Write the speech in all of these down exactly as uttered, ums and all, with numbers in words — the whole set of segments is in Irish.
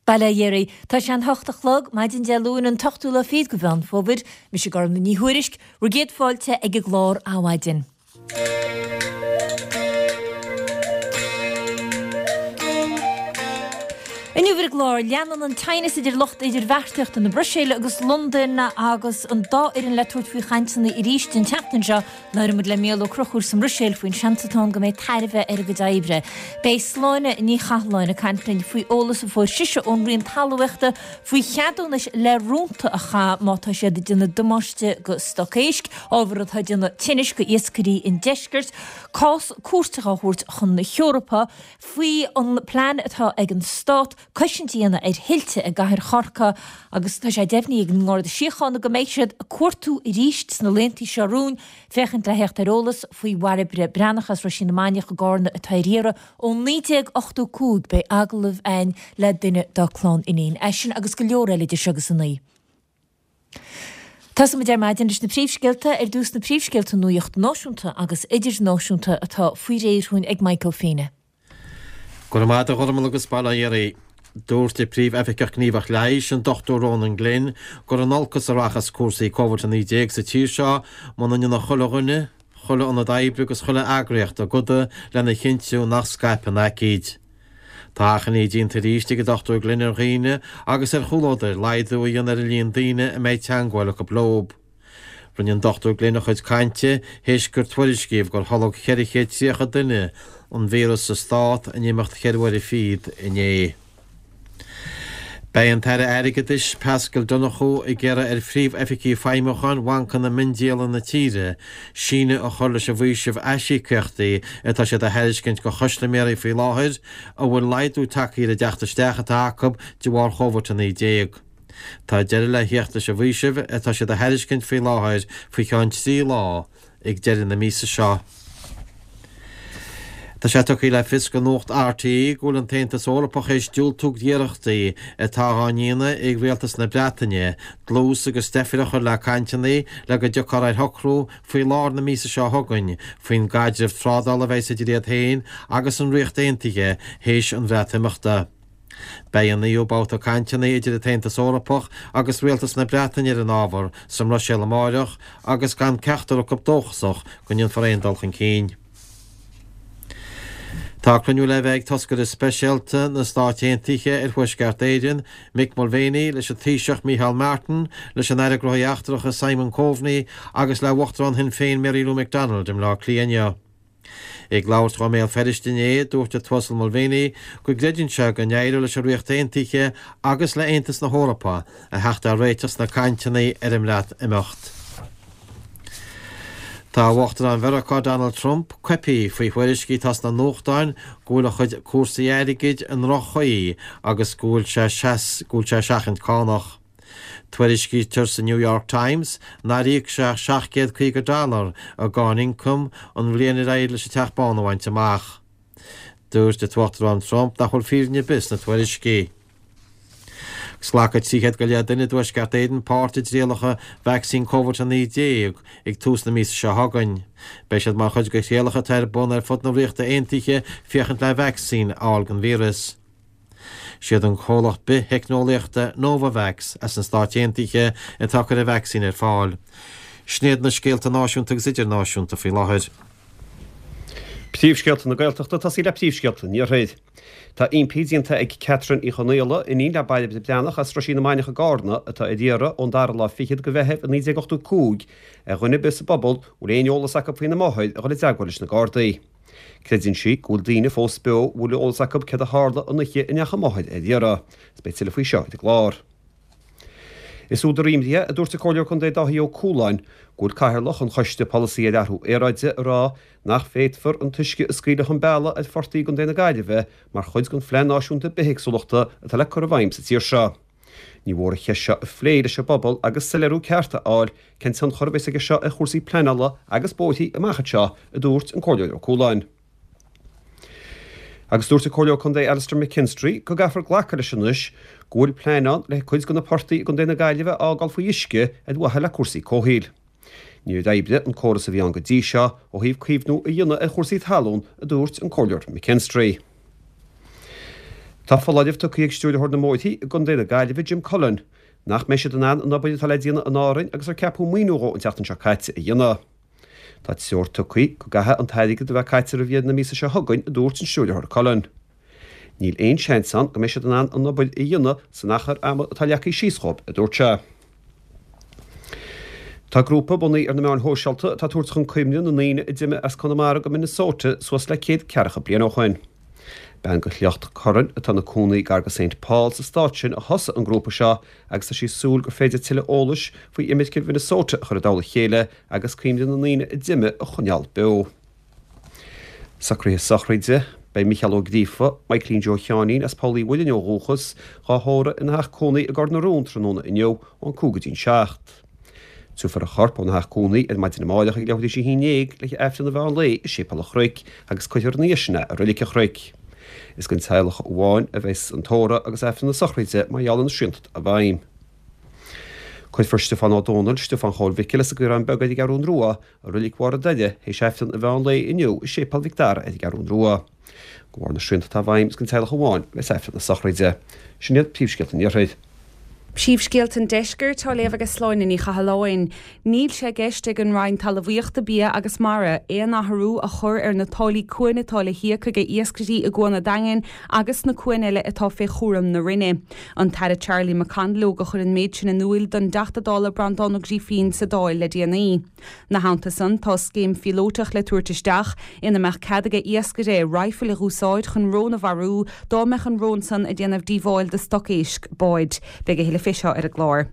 Bail ó Dhia oraibh. Tá sé an hocht a chlog, maidin Dé Luain an t-ochtú lá fichead de Mheán Fómhair. Mise Gormlaith Ní Thuairisg, bhur gcéad fáilte ag an gclár Adhmhaidin. Inniu ar an gclár, leanann an teannas idir lucht idirbheartaíochta na Bruiséile agus Londain agus an dá fhoireann le tabhairt faoi chainteanna arís an tseachtain seo. Labhróidh muid le Mícheál Ó Conchúir sa mBruiséil faoin seans atá ann go mbeidh tairbhe ar a gcuid oibre. Beidh Sláine Ní Chathalláin ag caint linn faoi eolas a fuair sise ón Roinn Talmhaíochta faoi cheadúnais le rúnta a chaitheamh má tá siad ag déanamh damáiste go stoc éisc, ábhar atá ag déanamh tinnis go iascairí an deiscirt, cás cúirte á thabhairt chun na hEorpa faoi an plean atá ag an Stát cosaint a dhéanamh ar thuilte i gcathair Chorcaí agus tá sé deimhnithe ag an nGarda Síochána go mbeidh siad ag cuartú arís sna laethanta seo romhainn féachaint le theacht ar eolas faoi Bhairbre Breathnach as Roisín na Mainiach i gCarna atá ar iarraidh ó naoi déag ochtó cúig. Beidh agallamh againn le duine dá clann iníon. É sin agus go leor eile idir seo agus a naoi. Tosóimid ar maidin leis na príomhscéalta, ar dtús na príomhscéalta nuaíocht náisiúnta agus idirnáisiúnta atá faoi réir chugainn ag Mike Ó Fiaine. Go raibh maith agat a Ghormlaith agus bail ó Dhia oraibh. Dúirt an Príomh-Oifigeach Gníomhach Leighis, an Dochtúir Ronan Glynn, gur in olcas a rachas cúrsaí Covid a naoi déag sa tír seo muna ndéanfaidh chuile dhuine, chuile ionad oibre agus chuile eagraíocht a gcoda lena chinntiú nach scaipfidh an aicíd. Tá achainí déanta arís ag an Dochtúir Glynn ar dhaoine agus ar chomhluadair laghdú a dhéanamh ar an líon daoine a mbeidh teagmháil acu leo. Rinne an Dochtúir Glynn a chuid cainte théis gur tuairiscíodh gur tholg ceithre chéad tríocha duine an víreas sa stát in imeacht cheithre huaire fichead inné. Beidh an tAire Airgeadais Paschal Donohoe ag iarraidh ar phríomh-oifigigh feidhmiúcháin bhancanna miondíola na tíre síneadh a chur leis an bhfaoiseamh aisíocaíochtaí atá siad a thairiscint do chustaiméirí faoi láthair a bhfuil laghdú tagtha ar an dteacht isteach atá acu de bharr Chóivid a naoi déag. Tá deireadh le theacht leis an bhfaoiseamh atá siad a thairiscint faoi láthair faoi cheann trí lá ag deireadh na míosa seo. Tá sé tugtha le fios do Nuacht RTÉ go bhfuil an tAontas Eorpach théis diúltú d'iarrachtaí atá á ndéanamh ag Rialtas na Breataine dlús agus deifir a chur le cainteanna le go dtiocfar ar shocrú faoi lár na míosa seo chugainn faoin gcaidreamh trádála a bheas idir iad féin agus an Ríocht Aontaithe théis an Bhreatimeachta. Beidh an naoú babhta cainteanna idir an tAontas Eorpach agus Rialtas na Breataine ar an ábhar sa mBruiséil amáireach agus gan ceachtar acu dóchasach go ndéanfar aon dul chun cinn. Tá cruinniú le bheith ag toscaire speisialta na Stát Aontaithe ar Thuaisceart Éireann, Mick Mulvaney, leis an Taoiseach Micheál Martin, leis an Aire Gnóthaí Eachtracha Simon Coveney agus le Uachtarán Shinn Féin Mary Lou McDonald i mBleá Cliath inniu. Ag labhairt dó i mBéal Feirste inné, dúirt an tUasal Mulvaney go gcreideann sé go n-éireoidh leis an Ríocht Aontaithe agus le Aontas na hEorpa a theacht ar réiteach sna cainteanna ar an mBreatimeacht. Tá Uachtarán Mheiriceá Donald Trump coipthe faoi thuairiscí atá sna nuachtáin go bhfuil a chuid cúrsaí airgid i ndroch-chaoi agus go bhfuil sé go bhfuil sé ag seachaint cánach. Tuairiscítear sa New York Times nár íoc sé ach seacht gcéad caoga dollar i gcáin ioncaim an bhliain ar éirigh leis an Teach Bán a bhaint amach. Dúirt an tUachtarán Trump nach bhfuil fírinne ar bith sna tuairiscí. Agus glacfaidh trí chéad go leith duine i dTuaisceart Éireann páirt i dtrialacha vacsaín Covid a naoi déag ag tús na míosa seo chugainn. Beidh siad mar chuid de thrialacha atá ar bun ar fud na Ríochta Aontaithe féachaint le vacsaín a fháil don víreas. Siad an comhlacht bith-theicneolaíochta Novavax as na Stáit Aontaithe atá ag cur an vacsaín ar fáil. Sin iad na scéalta náisiúnta agus idirnáisiúnta faoi láthair. Príomhscéalta na Gaeltachta, tosaí le príomhscéalta an Iarthair. Tá impí déanta ag Catherine Uí Chonaola, iníon le Bairbre Breathnach as Roisín na Mainiach i gCarna, atá ar iarraidh ón dara lá fichead de Mheitheamh i naoi déag ochtó cúig, ar dhuine ar bith sa bpobal a bhfuil aon eolas acu faoina máthair a dhul i dteagmháil leis na Gardaí. Creideann sí go bhfuil daoine fós beo a bhfuil eolas acu céard a tharla an oíche a ndeachaigh a máthair ar iarraidh. Is beidh tuilleadh faoi seo ar an gclár. Is údar imní é, a dúirt an Comhairleoir Contae Dáithí Ó Cualáin, go bhfuil Cathaoirleach an Choiste Polasaí ar Athrú Aeráide ag rá nach bhféadfar an t-uisce a scaoileadh chun bealaigh ar phortaigh i gContae na Gaillimhe mar chuid den Phlean Náisiúnta Bithéagsúlachta atá le cur i bhfeidhm sa tír seo. Ní mhór an cheist seo a phlé leis an bpobal agus soiléiriú ceart a fháil cén tionchar a bheas aige seo ar chúrsaí pleanála agus bóithrí amach anseo, a dúirt an Comhairleoir Ó Cualáin. Agus dúirt an Comhairleoir Contae Alastair McKinstry go gcaithfear glacadh leis anois go bhfuil plean ann le cuid de na portaigh i gContae na Gaillimhe a fhágáil faoi uisce ar mhaithe le cúrsaí comhshaoil. Níor oibrigh an córas a bhí ann go dtí seo ó thaobh caomhnú a dhéanamh ar chúrsaí talún, a dúirt an Comhairleoir McKinstry. Tá foláireamh tugtha ag Stiúrthóir na mBóithre i gContae na Gaillimhe Jim Cullen nach mbeidh siad in ann an obair atá le déanamh in Árainn agus ar ceapadh maoiniú dhó an tseachtain seo caite a dhéanamh. Tá treoir tugtha go gcaithfidh an t-airgead a bheith caite roimh dheireadh na míosa seo chugainn, a dúirt an Stiúrthóir Cullen. Níl aon seans ann go mbeidh siad in ann an obair a dhéanamh san achar ama atá leagtha síos dhóibh, a dúirt sé. Tá grúpa bunaithe ar na meáin shóisialta atá ag tabhairt chun cuimhne na ndaoine a d'imigh as Conamara go Minnesota suas le céad ceathracha bliain ó shoin. Bean de shliocht Curran atá ina cónaí gar go Saint Paul sa stát sin a thosaigh an grúpa seo agus tá sí ag súil gur féidir tuilleadh eolais faoi imirce Mhinnesota a chur i dtoll a chéile agus cuimhne na ndaoine a d'imigh a choinneáil beo. Socruithe sochraide, Beidh Mícheál Ó Gríofa, Michaelín Joe Sheáinín as Poll Uí Mhuilinn ó dhúchas, dhá thórramh ina theach cónaí i gCor na Rón tráthnóna inniu ón cúig go dtí'n seacht. Tabharfar a chorp óna theach cónaí ar maidin amárach ag leathuair tar éis a haon déag le hAifreann an mheán lae i Séipéal an Chnoic agus cuirfear ina dhiaidh sin é i Reilig an Chnoic. Is den teaghlach amháin a bheas an tórramh agus Aifreann na sochraide mar gheall ar na srianta atá i bhfeidhm. Cuirfear Stiofán Ó Dónaill, Stiofán Chóil Mhicil as an gCaorán Beag ar an gCeathrún Rua, i Reilig Bharr an Doire, théis Aifreann an mheán lae inniu i Séipéal Mhic Dara ar an gCeathrún Rua. De bharr na srianta atá i bhfeidhm, is den teaghlach amháin a bheas Aifreann na sochraide. Sin iad príomhscéalta an Iarthair. Príomhscéalta an Deiscirt á léamh ag Sláine Ní Chathalláin. Níl sé i gceist ag an Roinn Talmhaíochta, Bia agus Mara aon athrú a chur ar na táillí cuain atá le híoc ag iascairí i gCuan an Daingin agus sna cuain eile atá fé chúram na Roinne. An tAire Charlie McConalogue a chuir an méid sin in iúil don dTeachta Dála Breandán Ó Grífín sa Dáil le déanaí. 'Na theannta san, tá scéim phíolótach le tabhairt isteach ina mbeadh cead ag iascaire raidhfil a dh'úsáid chun rón a mharú dá mbeadh an rón san ag déanamh díobháil do stoc éisc báid. Beidh a thuilleadh fé seo ar an gclár.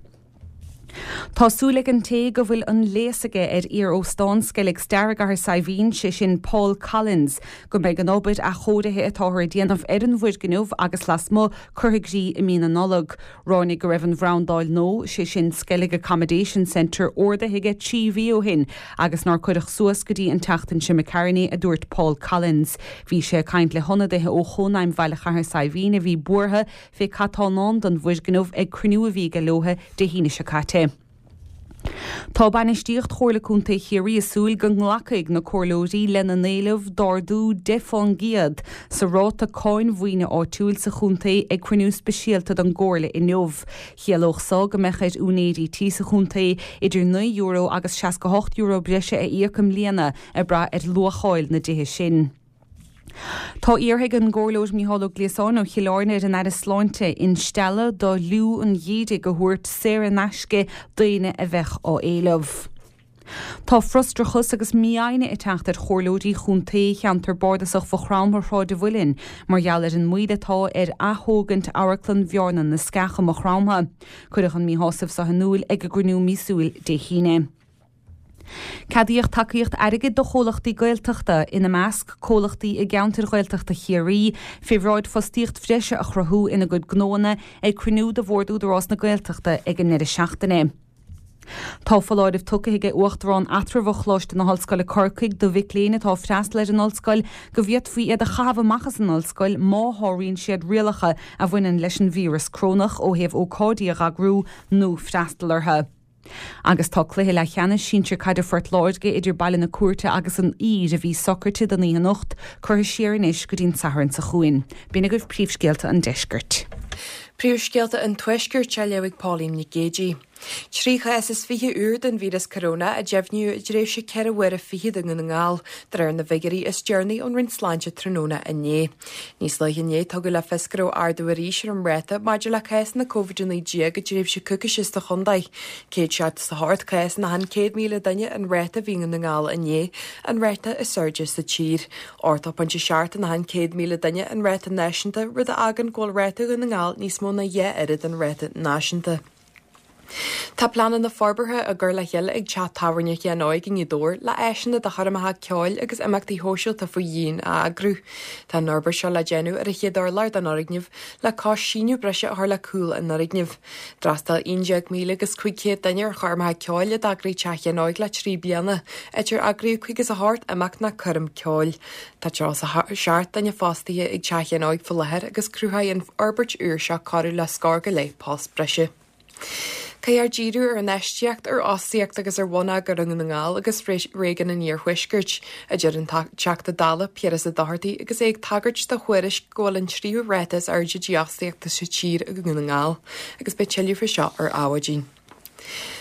Tá súil ag an té go bhfuil an léas aige ar iar-óstán Skellig Star i gCathair Saidhbhín, sé sin Paul Collins, go mbeidh an obair athchóirithe atáthar a déanamh ar an bhfoirgneamh agus lasmuigh curtha i gcrích i mí na Nollag. Ráinig go raibh an bhrandáil nua, sé sin Skellig Accommodation Centre, ordaithe aige trí mhí ó shin agus nár cuireadh suas go dtí an tseachtain seo imigh tharainn é, a dúirt Paul Collins. Bhí sé ag caint le hionadaithe ó Chónaidhm Bhaile Chathair Saidhbhín a bhí buartha fé cad tá i ndán don bhfoirgneamh ag cruinniú a bhí aige leotha Dé hAoine seo caite. Tá bainistíocht Chomhairle Contae Chiarraí ag súil go nglacfaidh na comhairleoirí lena n-éileamh d'ardú deich fán gcéad sa ráta cáin mhaoine áitiúil sa chontae ag cruinniú speisialta don gComhairle inniu. Chiallódh so go mbeadh ar úinéirí tí sa chontae idir naoi euro agus seasca hocht euro breise a íoc i mbliana ag brath ar luacháil na dtithe sin. Tá iarrtha ag an gComhairleoir Mícheál Ó Gliasáin ó Chill Airne ar an Aire Sláinte instealladh do fhliú an gheimhridh a thabhairt saor in aisce d'éinne a bheadh á éileamh. Tá frustrachas agus mífhoighne ag teacht ar chomhairleoirí chontae cheantar bardasach Mhaigh Chromtha Shráid an Mhuilinn mar gheall ar an moill atá ar ath-thógaint Amharclann Bhearna na Sceach i Maigh Chromtha. Cuireadh an míshásamh seo in iúil ag a gcruinniú míosúil Dé hAoine. Ceadaíodh tacaíocht airgid do chomhlachtaí Gaeltachta, ina measc comhlachtaí i gceantair Ghaeltachta Chiarraí, fé bhráid fostaíocht bhreise a chruthú ina gcuid gnóanna ag cruinniú de Bhord Údarás na Gaeltachta ag an ndeireadh seachtaine. Tá foláireamh tugtha ag Uachtarán Eatramhach Choláiste na hOllscoile Corcaigh do mhic léinn atá ag freastal ar an ollscoil go bhféadfaí iad a chaitheamh amach as an ollscoil má sháraíonn siad rialacha a bhaineann leis an víreas corónach ó thaobh ócáidí a dh'eagrú nó freastal orthu. Agus tá cluiche leathcheannais sinsir caide Phort Láirge idir Baile na Cúirte agus an Uidhir, a bhí socraite don oíche anocht, curtha siar anois go dtí an Satharn seo chugainn. B'in agaibh príomhscéalta an deiscirt. Príomhscéalta an Tuaiscirt á léamh ag Pauline Nic Géidigh. Trí chás is fiche úr den víreas coróna a deimhníodh i dtréimhse ceithre huaire fichead i nDún na nGall, de réir na bhfigiúirí is deireanaí ón Roinn Sláinte tráthnóna inné. Níos luaithe inné tugadh le fios go raibh ardú arís ar an ráta maidir le cásanna Covid a naoi déag i dtréimhse coicíse sa chontae. Céad seachtó is a hocht cás in achan céad míle duine an ráta a bhí i nDún na nGall inné, an ráta is airde sa tír. Ochtó pointe seacht in achan céad míle duine an ráta náisiúnta, rud a fhágann go bhfuil ráta Dhún na nGall níos mó ná dhá oiread an ráta náisiúnta. Tá pleananna forbartha á gcur le chéile ag teach tábhairne Sheáin Óig i nGaoth Dobhair le áiseanna do choirmeacha ceoil agus imeachtaí shóisialta faoi dhíon a eagrú. Tá an fhorbairt seo le déanamh ar an chéad urlár den fhoirgneamh le cois síneadh breise a chur le cúl an fhoirgnimh. D'fhreastail aon déag míle agus cúig chéad duine ar choirmeacha ceoil a d'eagraigh Teach Sheáin Óig le trí bliana, áit ar eagraíodh caoga is a hocht imeacht ná coirm ceoil. Tá tríocha is a seacht duine fostaithe ag Teach Sheáin Óig faoi láthair agus cruthóidh an fhorbairt úr seo corradh le scór go leith post breise. Caithfear díriú ar infheistíocht, ar fhostaíocht agus ar bhonneagar i nDún na nGall agus réigiún an Iarthuaiscirt, a deir an Teachta Dála Piaras Ó Dochartaigh agus é ag tagairt do thuairisc go bhfuil an tríú ráta is airde dífhostaíochta sa tír i nDún na nGall, agus beidh tuilleadh faoi seo ar Adhmhaidin.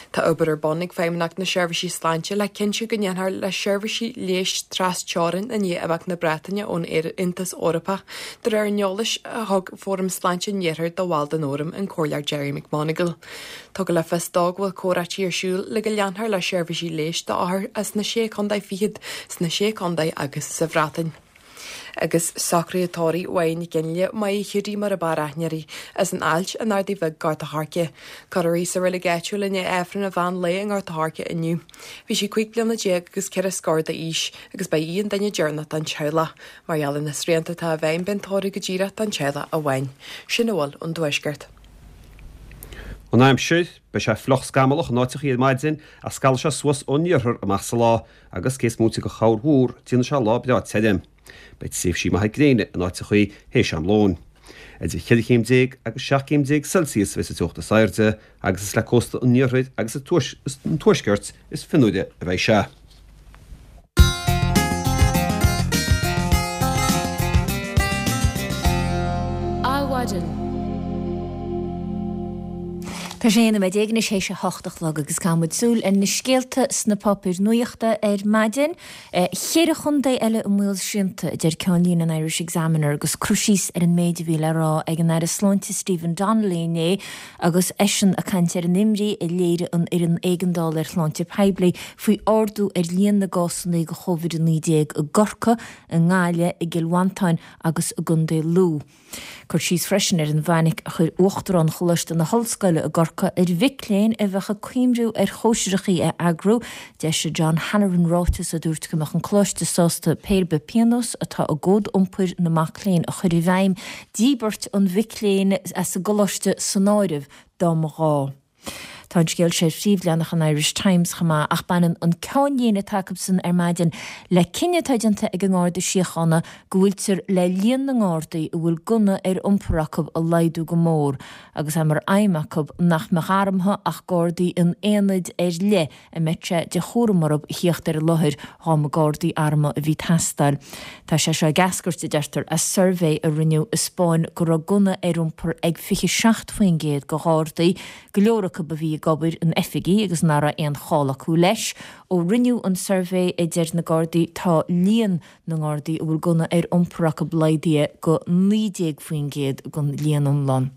Tá obair ar bun ag Feidhmeannacht na Seirbhísí Sláinte le cinntiú go ndéanfar le seirbhísí leighis tras-teorann i ndiaidh imeacht na Breataine ón Aontas Eorpach, de réir an eolais a thug Fóram Sláinte an Iarthair do bhall den fhóram, an Comhairleoir Gerry McMonagall. Tugadh le fios dó go bhfuil comhráití ar siúl le go leanfar le seirbhísí leighis d'othair as na Sé Chontae Fichead sna Sé Chontae agus sa Bhreatain. Agus socruithe tórraimh Mháire Nic Fhionnghaile, Máire Hiúdaí mar ab fhearr aithne uirthi, as an Ailt in Ardaidh Bhig, Gort a' Choirce. Cuirfear í sa reilig áitiúil i ndiaidh Aifreann an mheán lae i nGort a' Choirce inniu. Bhí sí cúig bliana déag agus ceithre scór d'aois agus ba í an duine deireanach den teaghlach. Mar gheall ar na srianta atá i bhfeidhm beidh an tórramh go díreach don teaghlach amháin. Sin a bhfuil ón dTuaisceart. An aimsir, Beidh sé fliuch scamallach in áiteachaí ar maidin ach scalfaidh sé suas ón iarthar amach sa lá agus cé is móite de chorrmhúr, déanfaidh sé lá breá tirim. Beidh tréimhsí maithe gréine in áiteachaí théis am lóin. Idir cheithre chéim déag agus seacht gcéim déag Celsius a bheidh sa teocht is airde agus is le cósta an iarthair agus an tuaiscirt is fionnuaire a bheidh sé. Adhmhaidin. Tá sé aon nóiméad déag anois théis a hocht a chlog agus caithfidh muid súil ar na scéalta sna páipéir nuachta ar maidin. Ceithre chontae eile i mbaol srianta, a deir ceannlíne an Irish Examiner agus cur síos ar an méid a bhí le rá ag an Aire Sláinte Stephen Donnelly inné agus eisean ag caint ar an imní a léirigh an Fhoireann Éigeandála ar Shláinte Poiblí faoi ardú ar líon na gcásanna de Chóvid a naoi déag i gCorcaigh, i nGaillimh, i gCill Mhantáin agus i gContae Lú. Cur síos freisin ar an bhfainic a chuir Uachtarán Choláiste na hOllscoile i gCorcaigh ar mhic léinn a bheadh ag cuimhniú ar chóisireachaí a eagrú. D'eisigh John Halloran ráiteas a dúirt go mbeadh an Coláiste sásta pé ar bith pionós atá i gCód Iompair na Mac Léinn a chur i bhfeidhm, díbirt an mhic léinn as an gColáiste san áireamh, dá mba ghá. Tá an scéal seo ar phríomhleathanach an Irish Times chomh maith ach baineann an ceannlíne atá acusan ar maidin le cinneadh atá déanta ag an nGarda Síochána go bhfuiltear le líon na nGardaí a bhfuil gunna ar iompar acu a laghdú go mór agus é mar aidhm acu nach mbeadh armtha ach Gardaí in aonaid ar leith a mbeadh sé de chúram orthu a thíocht ar an láthair dhá mba Gardaí armtha a bhí ag teastáil. Tá sé seo ag eascairt, a deirtear, as suirbhé a rinneadh a 'spáin go raibh gunna ar iompar ag fiche seacht faoin gcéad de Ghardaí, go leor acu a bhí ag obair in oifigí agus nach raibh aon chall acu leis. Ó rinneadh an suirbhé, a deir na Gardaí, tá líon na nGardaí a bhfuil gunna ar iompar acu laghdaithe go naoi déag faoin gcéad den líon iomlán.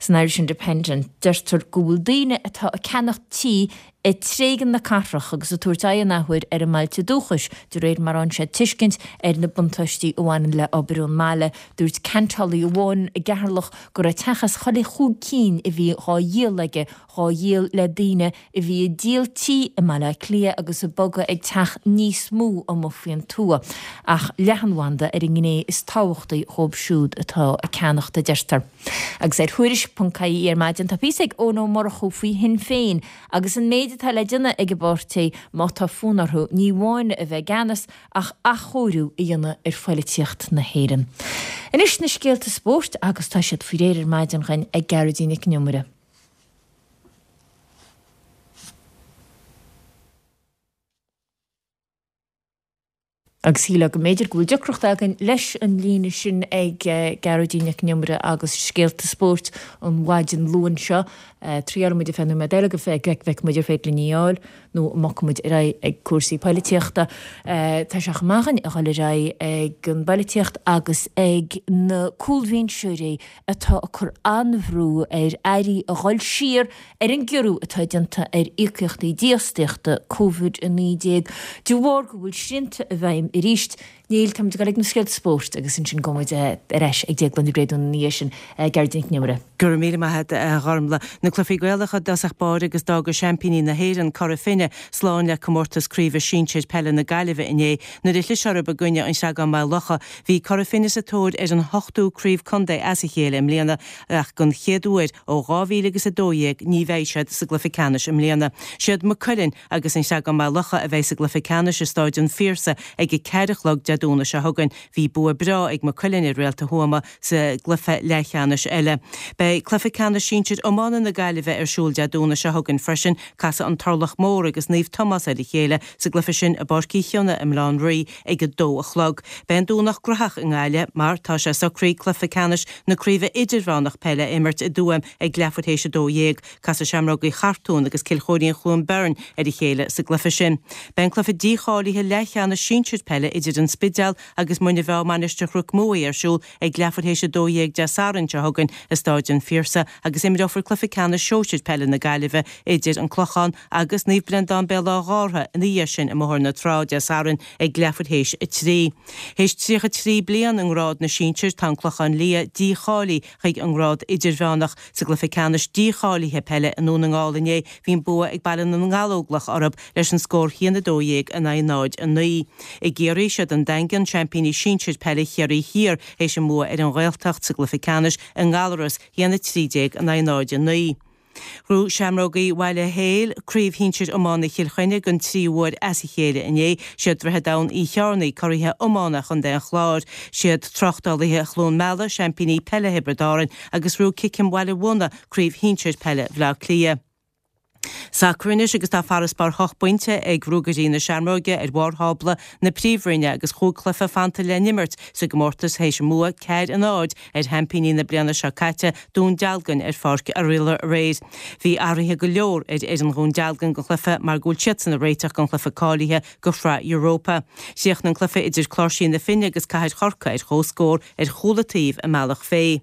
San Irish Independent, deirtear go bhfuil daoine atá ag ceannacht tí ag tréigean na cathrach agus ag tabhairt aghaidh an athuair ar a mbailte dúchais, de réir mar a fhaigheann siad tuiscint ar na buntáistí a bhaineann le obair ón mbaile. Dúirt ceantálaí amháin i gCeatharlach go raibh teach as chuile chúig cinn a bhí dhá dhíol aige dhá dhíol le daoine a bhí ag díol tí i mBaile Átha Cliath agus ag bogadh ag teach níos mó amuigh faoin tuath. Ach leathanbhanda ar an ngné is tábhachtaí dhóibh siúd atá ag ceannacht, a deirtear. Agus ar Thuairisc ponc ie ar maidin tá píosa ag Eoin Ó Murchú faoi Shinn Féin agus an méid atá le déanamh ag an bpáirtí má tá fonn orthu ní amháin a bheith i gceannas ach athchóiriú a dhéanamh ar phoilitíocht na hÉireann. Anois na scéalta spóirt agus tá siad faoi réir ar maidin againn ag Gearóidín Nic an Iomaire. Agus shílfeá go mb'fhéidir go bhfuil deacracht againn leis an líne sin ag Gearóidín Nic an Iomaire agus scéalta spóirt an mhaidin Luain seo. Triailfidh muid ar feadh nóiméad eile go bhfeicfidh muid ar féidir linn í a fháil nó an mbogfaidh muid ar aghaidh ag cúrsaí poilitíochta. Tá sé chomh maith againn a dhul ar aghaidh ag an bpoilitíocht agus ag na cúlbhinseoirí atá ag cur an-bhrú ar airí a dhul siar ar an gciorrú atá déanta ar íocaíochtaí dífhostaíochta Covid a naoi déag de bharr go bhfuil srianta i bhfeidhm arís. Níl, táimid ag dul ag na scéalta spóirt agus ansin gabhfaidh muid ar ais ag Déaglán Ní Bhréadún ina dhiaidh sin. Gearóidín Nic an Iomaire. Go raibh míle maith agat, a Ghormlaith. Na cluichí Gaelacha i dtosach báire agus d'fhága seaimpíní na hÉireann, Cora Finne, slán le comórtas craoibhe sinsir peile na Gaillimhe inné nuair a chlis orthu i gcoinne an Chreagáin Maigh Locha. Bhí Cora Finne sa tóir ar an hochtú craobh contae as a chéile i mbliana ach don chéad uair ó dhá mhíle agus a dó dhéag ní bheidh siad sa gcluiche ceannais i mbliana. Siad Maigh Cuilinn agus an Chreagán Maigh Locha a bheidh sa gcluiche ceannais i Stáid an Phiarsaigh ag a ceathair a chlog Dé Domhnaigh seo chugainn. Bhí bua breá ag Maigh Cuilinn ar Réalta Thuama sa gcluiche leathcheannais eile. Beidh cluiche ceannais sinsir iomána na Gaillimhe ar siúl Dé Domhnaigh seo chugainn freisin. Casfaidh An Turlach Mór agus Naomh Tomás ar a chéile sa gcluiche sin i bPáirc Uí Chionnaith i mBaile Átha an Rí ag a dó a chlog. Beidh an Domhnach graitheach i nGaillimh mar tá sé socraithe cluiche ceannais na Craoibhe Idirmheánach Peile a imirt i dTuaim ag leathuair théis a dó dhéag. Casfaidh Seamrógaí Chartúin agus Cill Chóirín Chluain Bheirn ar a chéile sa gcluiche sin. Beidh an cluiche dícháilithe leathcheannais sinsir peile idir An Spidéal agus Muine Mheá Mainistir Chnoc Muaidhe ar siúl ag leathuair théis a dó dhéag Dé Sathairn seo chugainn i Stáid an Phiarsaigh agus imreofar cluiche ceannais sóisir peile na Gaillimhe idir An Clochán agus Naomh Breandán Béal Átha Ghártha ina dhiaidh sin i mBóthar na Trá Dé Sathairn ag leathuair théis a trí. Théis tríocha trí bliain i ngrád na sinsear tá An Clochán Liath dícháilithe chuig an ngrád idirmheánach. Sa gcluiche ceannais dícháilithe peile i nDún na nGall inné bhí an bua ag Baile na nGallóglach orthu leis an scór haon a dó dhéag in aghaidh náid a naoi. I gCiarraí siad an Daingean seaimpíní sinsir peile Chiarraí Thiar théis a mbua ar an Ghaeltacht sa gcluiche ceannais i nGallaras haon a trí déag in aghaidh náid a naoi. Ghnóthaigh Seamrógaí Bhaile Héil craobh shinsir iomána Chill Chainnigh den tríú huair as a chéile inné. Siad Droichead Abhann Uí Chearnaigh curaithe iomána Chontae an Chláir. Siad Tráchtálaithe Chluain Meala seaimpíní peile Thiobraid Árann agus ghnóthaigh Ciceam Bhaile Mhúrna craobh shinsir peile Bhaile Átha Cliath. Sacar anois agus tá farasbarr hocht bpointe ag Ruagairí na Seamróige ar bharr thábla na Príomhroinne agus chúig chluiche fanta le n-imirt sa gcomórtas théis a mbua ceathair a náid ar sheaimpíní na bliana seo caite, Dún Dealgan ar Pháirc Oirialla aréir. Bhí athruithe go leor ar fhoireann Dhún Dealgan don chluiche mar go bhfuil siadsan ag réiteach don chluiche cáilithe do Shraith Europa. Chríochnaigh an cluiche idir Cláirsí na Finne agus Cathair Chorcaí ar comhscór ar chúl an taobh i mBealach Féich.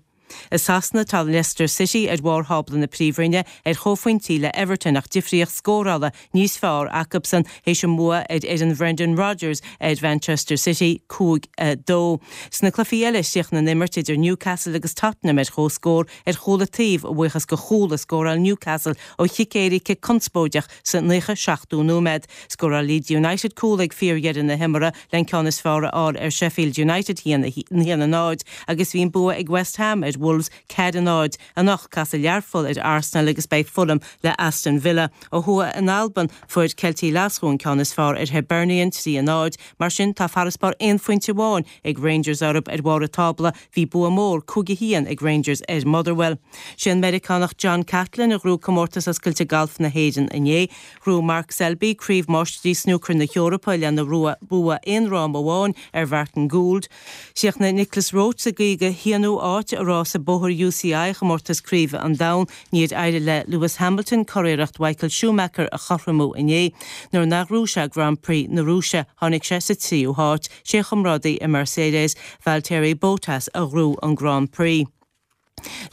I Sasana, tá Leicester City ar bharr thábla na Príomhroinne ar chomhphointí le Everton ach difríocht scórála níos fearr acusan théis a mbua ar fhoireann Brendan Rodgers ar Mhanchester City, cúig a dó. Sna cluichí eile, chríochnaigh an imirt idir Newcastle agus Tottenham ar comhscór ar chúl an taobh a bhuíochas do chúl a scóráil Newcastle ó chic éirice conspóideach sa naocha seachtú nóiméad. Scóráil Leeds United cúl ag fíordheireadh na himeartha le an ceann is fearr a fháil ar Sheffield United, haon a náid, agus bhí an bua ag West Ham ar Wolves ceathair a náid. Anocht, casfaidh Learpholl ar Arsenal agus beidh Fulham le Aston Villa. Ó thuaidh in Albain, fuair Ceiltigh Ghlaschú an ceann is fearr ar Hibernian, trí a náid. Mar sin, tá farasbarr aon phointe amháin ag Rangers orthu ar bharr an tábla. Bhí bua mór, cúig a haon, ag Rangers ar Motherwell. Sé an Meiriceánach John Catlin a ghnóthaigh Comórtas Oscailte Gailf na hÉireann inné. Ghnóthaigh Mark Selby Craobh Máistrí Snúcair na hEorpa lena bhua aon fhráma amháin ar Mhartin Gould. Chríochnaigh Nicolas Roche sa gcaoga haonú áit i rása bóthair UCI Chomórtas Craoibhe an Domhain. Níor éirigh le Lewis Hamilton curiarracht Mhichael Schumacher a chothromú inné. Nuair nár ghnóthaigh sé Grand Prix na Rúise, tháinig sé sa tríú háit. Sé a chomrádaí i Mercedes, Valtteri Bottas, a ghnóthaigh an Grand Prix.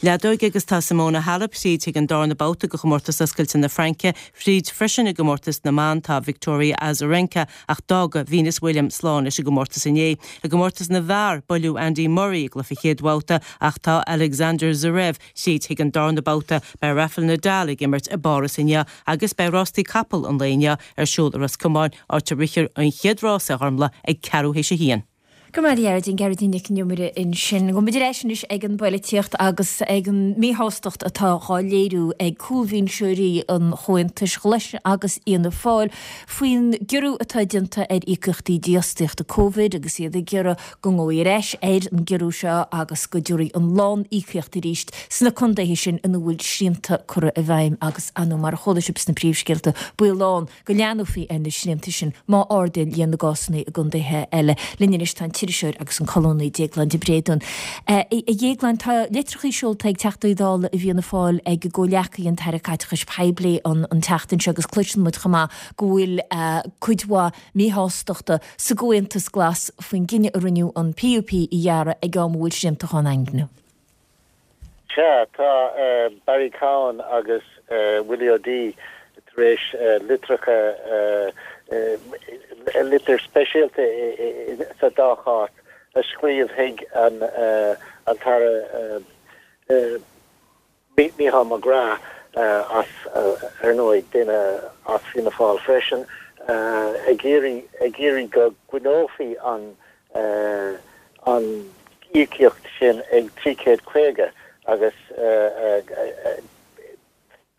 Leadóg agus tá Simona Halep tríd chuig an darna babhta de Chomórtas Oscailte na Fraince, fríd freisin i gcomórtas na mban tá Victoria Azarenka ach d'fhága Venus Williams slán leis an gcomórtas inné. I gcomórtas na bhfear, buaileadh Andy Murray i gcluiche chéad bhabhta ach tá Alexander Zverev tríd chuig an darna babhta. Beidh Rafael Nadal ag imirt i bPáras inniu agus beidh rástaí capall an lae inniu ar siúl i Ros Comáin áit a rithfear an chéad rása, a Ghormfhlaith, ag ceathrú théis a haon. Go raibh maith agat a Ghearóidín, Gearóidín Nic an Iomaire ansin. Gabhfaidh muid ar ais anois ag an bpoilitíocht agus ag an míshástacht atá dhá léiriú ag cúlbhinseoirí an Chomhaontais Ghlais agus Fhianna Fáil faoin gciorrú atá déanta ar íocaíochtaí dífhostaíochta Covid agus iad ag iarraidh go ngabhfaí ar ais ar an gciorrú seo agus go dtabharfaí an lán-íocaíocht arís sna contaetha sin ina bhfuil srianta curtha i bhfeidhm agus, ar ndóigh, mar a chuala sibh sna príomhscéalta, baol ann go leathnófaí ar na srianta sin má ardaíonn líon na gcásanna i gcontaetha eile. Linn anois tá an t-iriseoir agus an colúnaí Déaglán de Bréadún. A Dhéagláin, tá litreacha seolta ag Teachtaí Dála i bhFianna Fáil ag a gcomhghleacaí an tAire Caiteachais Poiblí an tseachtain seo agus cloiseann muid chomh maith go bhfuil cuid mhaith míshástachta sa gComhaontas Glas faoin gcinneadh a rinneadh an PUP a ghearradh ag am a bhfuil srianta á ndaingniú. Sea, tá Barry Cowen agus Willie O'Dea tar éis litreacha, litir speisialta sa dá chás, a scríobh chuig an tAire Mícheál McGrath, as, ar ndóigh, duine as Fianna Fáil freisin, ag iarraidh, ag iarraidh go gcoinneofaí an an íocaíocht sin ag trí chéad caoga agus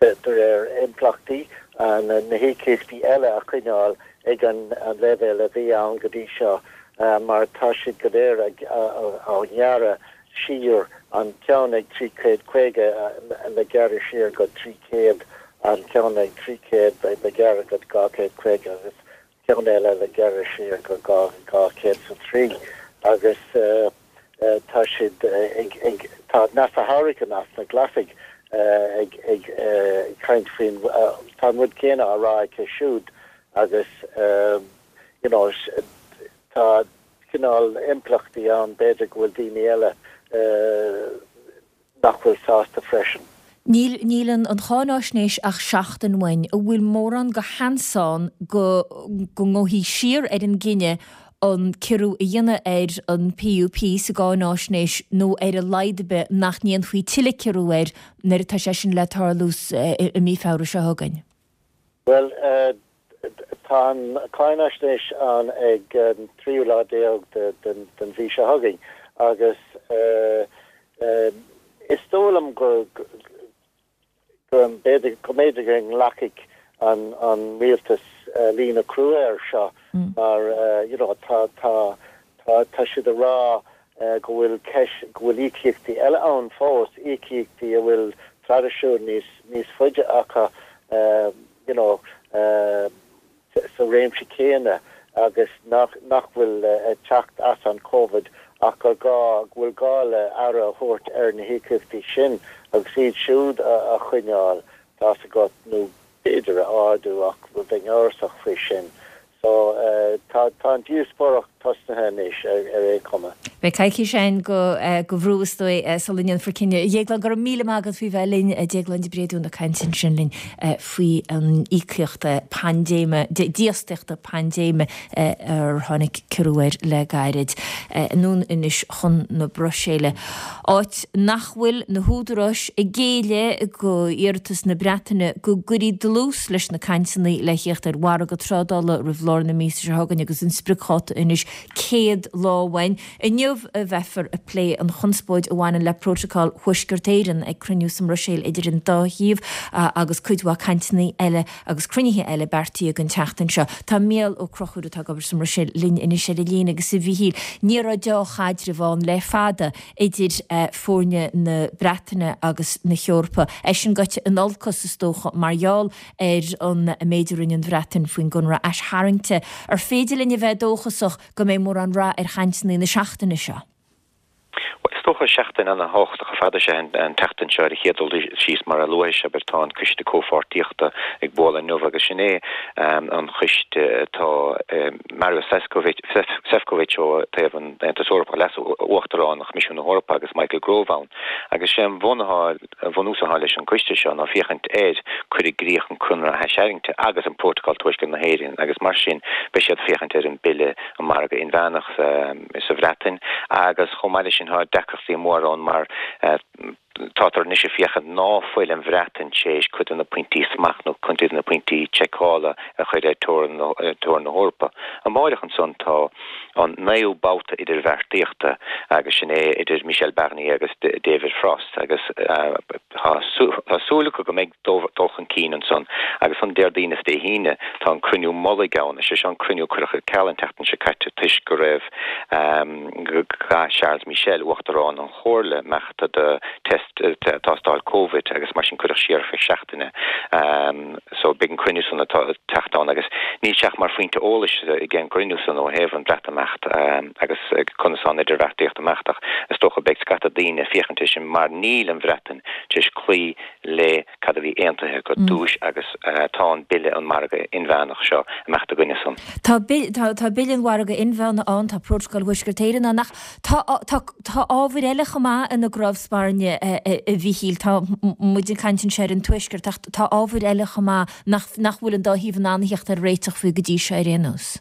de réir impleachtaí na híocaíochtaí eile a choinneáil ag an leibhéal a bhí ann go dtí seo. mar tá siad go léir ag á ngearradh siar, an ceann ag trí chéad caoga le gearradh siar go trí chéad, an ceann ag trí chéad le gearradh go dhá chéad caoga agus ceann eile le gearradh siar go dhá chéad is a trí agus tá siad ag ag tá Neasa Hourigan as na Glasaigh ag ag caint faoin tá an rud céanna á rá aici siúd agus you know tá cineál impleachtaí ann, b'fhéidir go bhfuil daoine eile nach bhfuil sásta freisin. Níl níl an an cháináisnéis ach seachtain uainn. An bhfuil mórán de sheans ann go go ngabhfaí siar ar an gcinneadh an ciorrú a dhéanamh ar an PUP sa gcáináisnéis nó ar a laghad ar bith nach ndéanfaí tuilleadh ciorrú air nuair atá sé sin le tarlú i mí Feabhra seo chugainn? Bhuel, tá an cháinaisnéis ann ag an tríú lá déag den mhí seo chugainn agus is dóigh liom go b'fhéidir go mb'fhéidir go nglacfaidh an rialtas líne crua air seo mar you know tá tá tá tá siad ag rá go bhfuil ceist go bhfuil íocaíochtaí eile ann fós, íocaíochtaí a bhfuil traidisiún níos níos faide acu you know sa réimse céanna agus nach nach bhfuil ag teacht as an Covid ach gur gá go bhfuil gá le aire a thabhairt ar na híocaíochtaí sin agus iad siúd a a choinneáil, tá's agat, nó b'fhéidir a ardú ach bheinn amhrasach faoi sin. So tá tá an díospóireacht tosnaithe anois ar ar aon chuma. Beidh coicís ann go go bhrú is dóigh sula ndéanfar cinneadh. A Dhéagláin, go raibh míle maith agat faoi bheith linn. Déaglán de Bréadún ag caint ansin linn faoi an íocaíocht paindéime, dífhostaíochta paindéime ar tháinig ciorrú air le gairid. Anonn anois chun na Bruiséile, áit nach bhfuil na húdaráis ag géilleadh go iarratas na Breataine go gcuirfí dlús leis na cainteanna le theacht ar mhargadh trádála roimh lár na míosa seo chugainn agus an spriocdháta anois céad lá uainn. Inniu a bheifear ag plé an chonspóid a bhaineann le Prótacal Thuaisceart Éireann ag cruinniú sa mBruiséil idir an dá thaobh agus cuid mhaith cainteanna eile agus cruinnithe eile beartaithe don tseachtain seo. Tá Mícheál Ó Conchúir atá ag obair sa mBruiséil linn anois ar an líne agus a Mhíchíl, ní raibh deá-chaidreamh ann le fada idir foirne na Breataine agus na hEorpa. É sin gaibhte in olcas is dócha mar gheall ar an méid a rinne an Bhreatain faoin gconradh aistarraingte. Ar féidir linn a bheith dóchasach go mbeidh mórán rath ar chainteanna na seachtaine seo? Bhuel, is dócha seachtain ana-thábhachtach ar fad is ea an tseachtain seo ar an chéad dul síos mar a luaigh sibh tá an Coiste Comhpháirtíochta ag bualadh inniu agus sin é an coiste atá Maros Sefcovic ó thaobh an Aontais Eorpaigh, Leas-Uachtarán Choimisiún na hEorpa agus Michael Gove ann agus sé an bunús atá leis an gcoiste seo ná féachaint ar cur i gcrích an Conradh Aistarraingte agus an Prótacal Tuaisceart na hÉireann agus mar sin beidh siad ag féachaint ar an Bille um Margadh Inmheánach sa Bhreatain agus chomh maith leis sin tá deacrachtaí móra ann mar tátar anois ag féachaint ná fuil an Bhreatain tar éis cuid de na pointí smacht nó cuid de na pointí seiceála a chur ar teorainn na hEorpa. Amáireach ansan tá an naoú babhta idirbheartaíochta agus sin é idir Michel Barnier agus David Frost agus tá súil acu go mbeidh dul chun cinn ansan agus an Déardaoin is Dé hAoine tá an cruinniú mullaigh ann, is é seo an cruinniú a cuireadh ar ceal an tseachtain seo caite toisc go raibh go gcaithfidh Charles Michel, Uachtarán an Chomhairle, imeacht do test tástáil Covid agus mar sin cuireadh siar ar feadh seachtaine so beidh an cruinniú san atá ag teacht ann agus níl sé ach mar phointe eolais ag an gcruinniú san ó thaobh an Bhreatimeacht agus conas tá an idirbheartaíocht ag imeacht ach is dócha beidh scata daoine ag féachaint air sin mar níl an Bhreatain tar éis cloí le cad a bhí aontaithe go dtúis agus tá an Bille an Margadh Inmheánach seo ag imeacht i gcoinne san. Tá tá Bille an Mhargaidh Inmheánaigh ann, tá Prótacal Thuaisceart Éireann ann ach tá tá tá ábhair eile chomh maith ina gcnámh spairne a Mhíchíl, tá muid ag caint anseo ar an Tuaisceart ach tá ábhair eile chomh maith nach nach bhfuil an dá thaobh in ann a theacht ar réiteach faoi go dtí seo ar aon nós.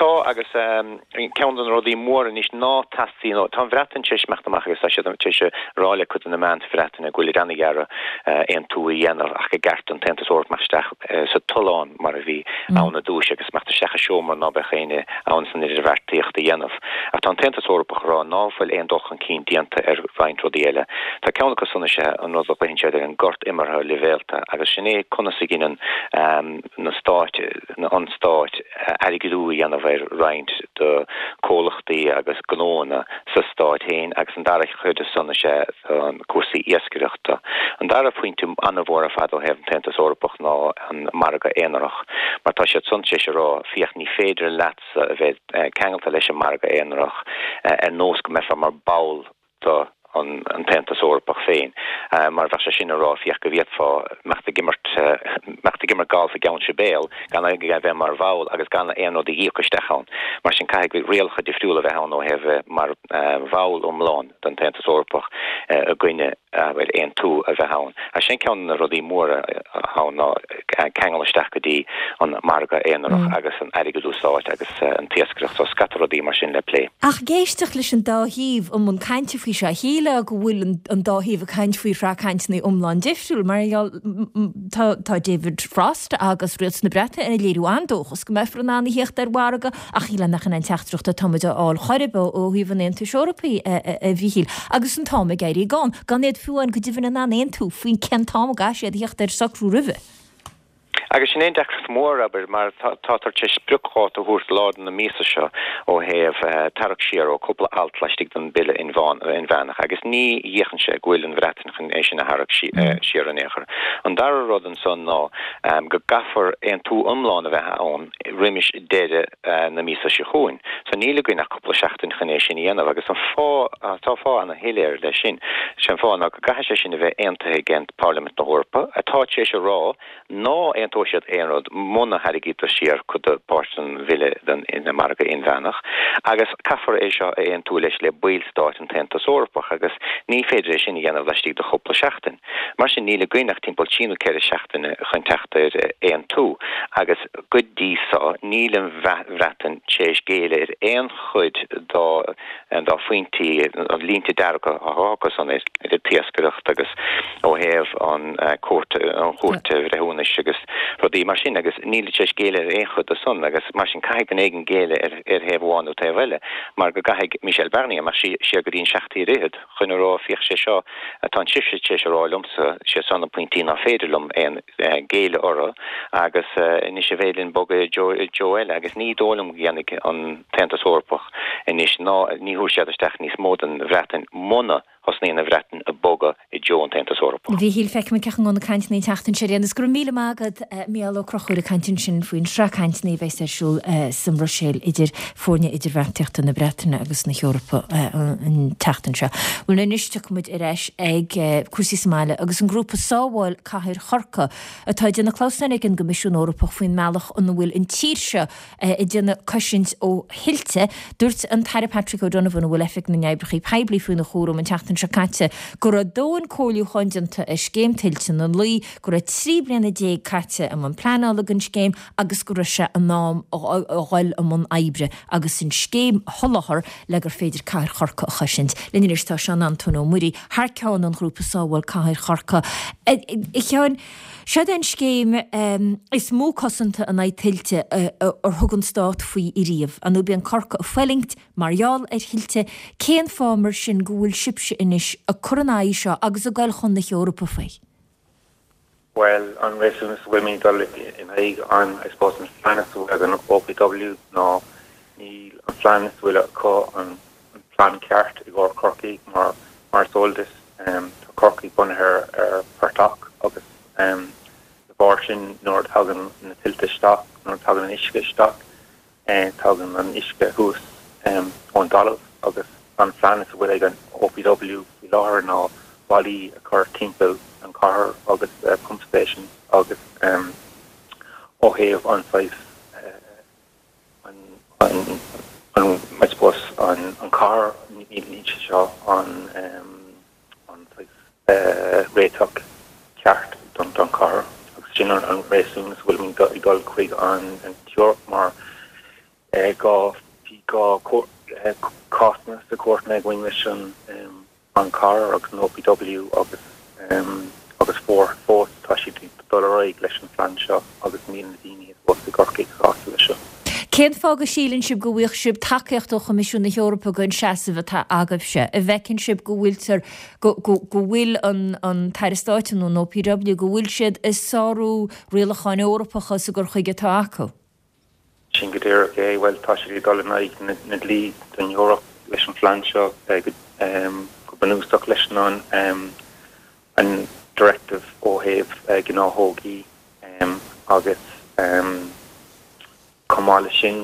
Tá, agus ceann de na rudaí móra anois ná teastaíonn, tá an Bhreatain tar éis imeacht amach agus tá siad tar éis a rá le cuid de na meáin sa Bhreatain go bhfuilid an-ag iarraidh aontú a dhéanamh ach gur cheart don tAontas Eorpach imeacht isteach sa tollán mar a bhí ann i dtús agus imeacht isteach i seomra ná beadh éinne ann san idirbheartaíocht a dhéanamh. Ach tá an tAontas Eorpach ag rá ná fuil aon dul chun cinn déanta ar roinnt rudaí eile. Tá ceann acu san is ea an rud a ghlaonn siad ar an gcor imeartha leibhéalta agus sin é conas a dhéanann na stáit, an stáit, airgeadú a dhéanamh ar roinnt de comhlachtaí agus gnóanna sa stát féin agus an dara chuid de san is ea cúrsaí iascaireachta. An dara pointe an-mhór ar fad ó thaobh an tAontas Eorpach ná an margadh aonarach, mar tá siad san tar éis a rá, féach ní féidir leatsa a bheith ceangailte leis an margadh aonarach ar nós go mbeifeá mar ball de an tAontas Eorpach féin, mar bheadh sé sin a rá, féach go bhféadfá imeacht ag imirt imeacht ag imirt galf i gCeann Sibéal gan a bheith mar bhall agus gan aon rud a íoc isteach ann. Mar sin caithfidh rialacha difriúla a bheith ann ó thaobh bheith mar bhall iomlán den tAontas Eorpach i gcoinne abair aontú a bheith ann. Agus sin ceann de na rudaí móra ann ná ceangal isteach go dtí an margadh aonarach agus an airgeadú stáit agus an t-iascaireacht so scata rudaí mar sin le plé. Ach ag éisteacht leis an dá thaobh i mbun cainte faoi seo, shílfeá go bhfuil an dá thaobh ag caint faoi shraith cainteanna iomlán difriúil. Mar gheall, tá tá David Frost agus Rialtas na Breataine ag léiriú an-dóchas go mbeifear in ann a theacht ar mhargadh ach shílfeá nach in an teachtaireacht atá muid a fháil chor ar bith ó thaobh an Aontais Eorpaigh, a Mhíchíl. Agus an t-am ag éirí gann, gan iad fiú amháin go deimhin in ann aontú faoin cén t-am a gcaithfidh siad a theacht ar socrú roimhe. Agus sin é an deacracht mhór, abair, mar táthar tar éis spriocdháta a thabhairt lár na míosa seo ó thaobh tarrac siar ó cúpla alt laistigh den Bille Inmheánach agus ní fhéachann sé go bhfuil an Bhreatain chun é sin a tharrac siar in aon chor. An dara rud ansan ná go gcaithfear aontú iomlán a bheith ann roimis deireadh na míosa seo chugainn. So níl againn ach cúpla seachtain chun é sin a dhéanamh agus an fáth, tá fáth ana-shoiléir leis sin, sé an fáth ná go gcaithfidh sé sin a bheith aontaithe ag Parlaimint na hEorpa, atá tar éis a rá ná aontóidh siad aon rud muna tharraingítear siar cuid de páirt den bhille den margadh inmheánach agus caithfear é seo a aontú leis le ballstáit an tAontas Eorpach agus ní féidir é sin a dhéanamh laistigh de chúpla seachtain. Mar sin níl againn ach timpeall trí nó ceithre seachtaine chun teacht ar aontú agus go dtí so níl an Bhreatain tar éis géilleadh ar aon chuid dá dá phointí, línte dearga atá acu san ar an t-iascaireacht agus ó thaobh an Chúirt an Chúirt Bhreithiúnais agus rudaí mar sin agus níl tar éis géilleadh ar aon chuid de san agus mar sin caithfidh duine éigin géilleadh ar ar thaobh amháin nó taobh eile mar go gcaithfidh Michel Barnier imeacht siar go dtí an Seacht Tír Fhichead chun a rá féach sé seo atá sibhse tar éis a rá liomsa sé seo na pointí ná féidir liom aon géilleadh orthu agus anois an féidir linn bogadh i dtreo eile agus ní dóigh liom go dhéanfaidh an tAontas Eorpach anois ná ní thabharfaidh siad isteach níos mó den Bhreatain muna thosnaíonn an Bhreatain ag bogadh i dtreo an tAontas Eorpach. A Mhíchíl, feicfimid cén chaoi a ngabhfaidh na cainteanna an tseachtain seo ar aon nós. Go raibh míle maith agat, Mícheál Ó Conchúir ag caint ansin faoin sraith cainteanna a bheas ar siúl sa mBruiséil idir foirne idirbheartaíochta na Breataine agus na hEorpa an tseachtain seo. Bhuel anois tiocfaidh muid ar ais ag cúrsaí sa mbaile agus an grúpa Sábháil Cathair Chorcaí atá ag déanamh clamhsáin ag an gCoimisiún Eorpach faoin mbealach ina bhfuil an tír seo ag déanamh cosaint ó thuilte. Dúirt an tAire Patrick O'Donovan, a bhfuil Oifig na nOibreacha Poiblí faoina chúram, an tseachtain seo caite go raibh dóthain comhairliúcháin déanta ar scéim tuilte na Laoi, go raibh trí bliana déag caite i mbun pleanála don scéim agus go raibh sé in am a dhul i mbun oibre agus an scéim a sholáthar le gur féidir cathair Chorcaí a chosaint. Linn anois tá Seán Antóin Ó Muirí, thar ceann an ghrúpa Sábháil Cathair Chorcaí. A Sheáin, Seod é an scéim is mó cosanta in aghaidh tuilte ar thug an Stát faoi ariamh. Ar ndóigh bíonn Corcaigh ag fulaingt mar gheall ar thuilte. Cén fáth mar sin go bhfuil sibhse anois ag cur in aghaidh seo agus ag dul chun na hEorpa faoi? Bhuel, an réasún is a bhfuilimid ag dul in aghaidh an, I suppose, an phlean is a bhfuil ag an OPW ná níl an phlean is a bhfuil acu an plean ceart i gcomhair Chorcaí mar mar is eol duit tá Corcaigh bunaithe ar phortach agus de bharr sin nuair a thagann na tuilte isteach, nuair a thagann an uisce isteach, tagann an uisce thuas ón dtalamh agus an phlean is a bhfuil ag an OPW faoi láthair ná ballaí a chur timpeall an chathair agus pump stations agus ó thaobh an saghas an an I suppose an an chathair níl sé seo an an saghas réiteach ceart don don chathair agus sin an an réasún is a bhfuilimid ag dul chuig an an tEoraip mar dhá bhí dhá cásanna sa chúirteanna againn leis an an chathair agus an OPW agus agus fuair fós tá siad ag dul ar aghaidh leis an phlean seo agus níl na daoine fós i gCorcaigh sásta leis seo. Cén fáth go síleann sibh go bhfuigheadh sibh tacaíocht ó Choimisiún na hEorpa don seasamh atá agaibhse? An bhfeiceann sibh go bhfuiltear, go, go, go bhfuil an, an tAire Stáit nó an OPW, go bhfuil siad ag sárú rialacháin Eorpacha sa gcur chuige atá acu? Sin go díreach é, bhuel tá siad ag dul in aghaidh na dlí don Eoraip leis an phlean seo go bunúsach leis an an directive ó thaobh gnáthógaí agus chomh maith leis sin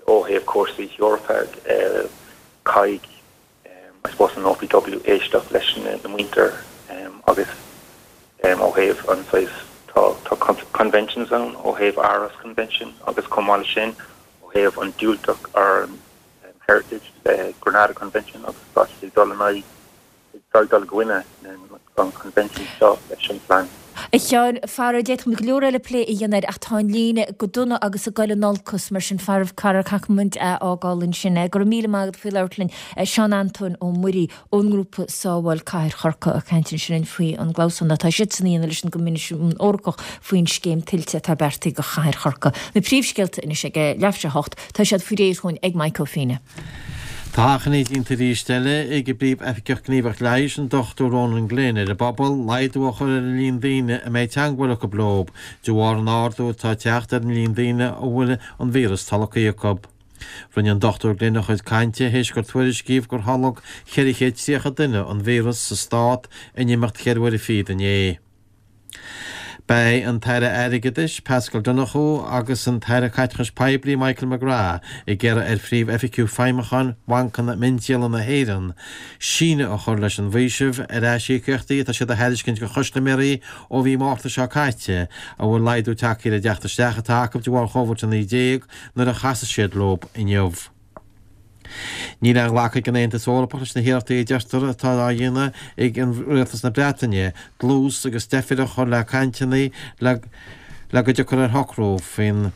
ó thaobh cúrsaí Eorpa caithfidh I suppose an OPW éisteacht leis na muintir agus ó thaobh an saghas tá tá conventions ann ó thaobh Aarhus Convention agus chomh maith leis sin ó thaobh an diúltach ar heritage le Granada Convention agus tá siad ag dul in aghaidh ag dul i gcoinne an convention seo leis an phlean. A Sheáin, faraor d'fhéadfadh muid go leor eile plé a dhéanamh air ach tá an líne go dona agus ag dul in olcas mar sin faraor caithfidh muid a fhágáil ansin. Go raibh míle maith agat faoi labhairt linn. Seán Antóin Ó Muirí ón ngrúpa Sábháil Cathair Chorcaí ag caint ansin faoi an gclamhsán atá siadsan a dhéanamh leis an gCoimisiún Eorpach faoin scéim tuilte atá beartaithe do Chathair Chorcaí. Na príomhscéalta anois ag leathuair tar éis a hocht, tá siad faoi réir chugainn ag Mike Ó Fianna. Tá achainí déanta arís eile ag an bPríomh-Oifigeach Gníomhach Leighis, an Dochtúir Ronan Glynn, ar an bpobal laghdú a chur ar an líon daoine a mbeidh teagmháil acu leo de bharr an ardú atá ag teacht ar an líon daoine a bhfuil an víreas tolgtha acu. Rinne an Dochtúir Glynn a chuid cainte théis gur tuairiscíodh gur tholg ceithre chéad tríocha duine an víreas sa stát in imeacht ceithre huaire fichead inné. Beidh an tAire Airgeadais, Paschal Donohoe agus an tAire Caiteachais Poiblí, Michael McGrath ag iarraidh ar Phríomh-Oifigeach Feidhmiúcháin Bhancanna Miondíola na hÉireann síneadh a chur leis an bhfaoiseamh ar aisíocaíochtaí atá siad a thairiscint do chustaiméirí ó mhí Márta seo caite a bhfuil laghdú tagtha ar a dteacht isteach atá acu de bharr Covid a naoi déag nuair a chasfaidh siad leo inniu. Níl aon ghlacadh ag an Aontas Eorpach leis na hiarrachtaí a deirtear atá á dhéanamh ag Rialtas na Breataine dlús agus deifir a chur le cainteanna le le go dtiocfar ar shocrú faoin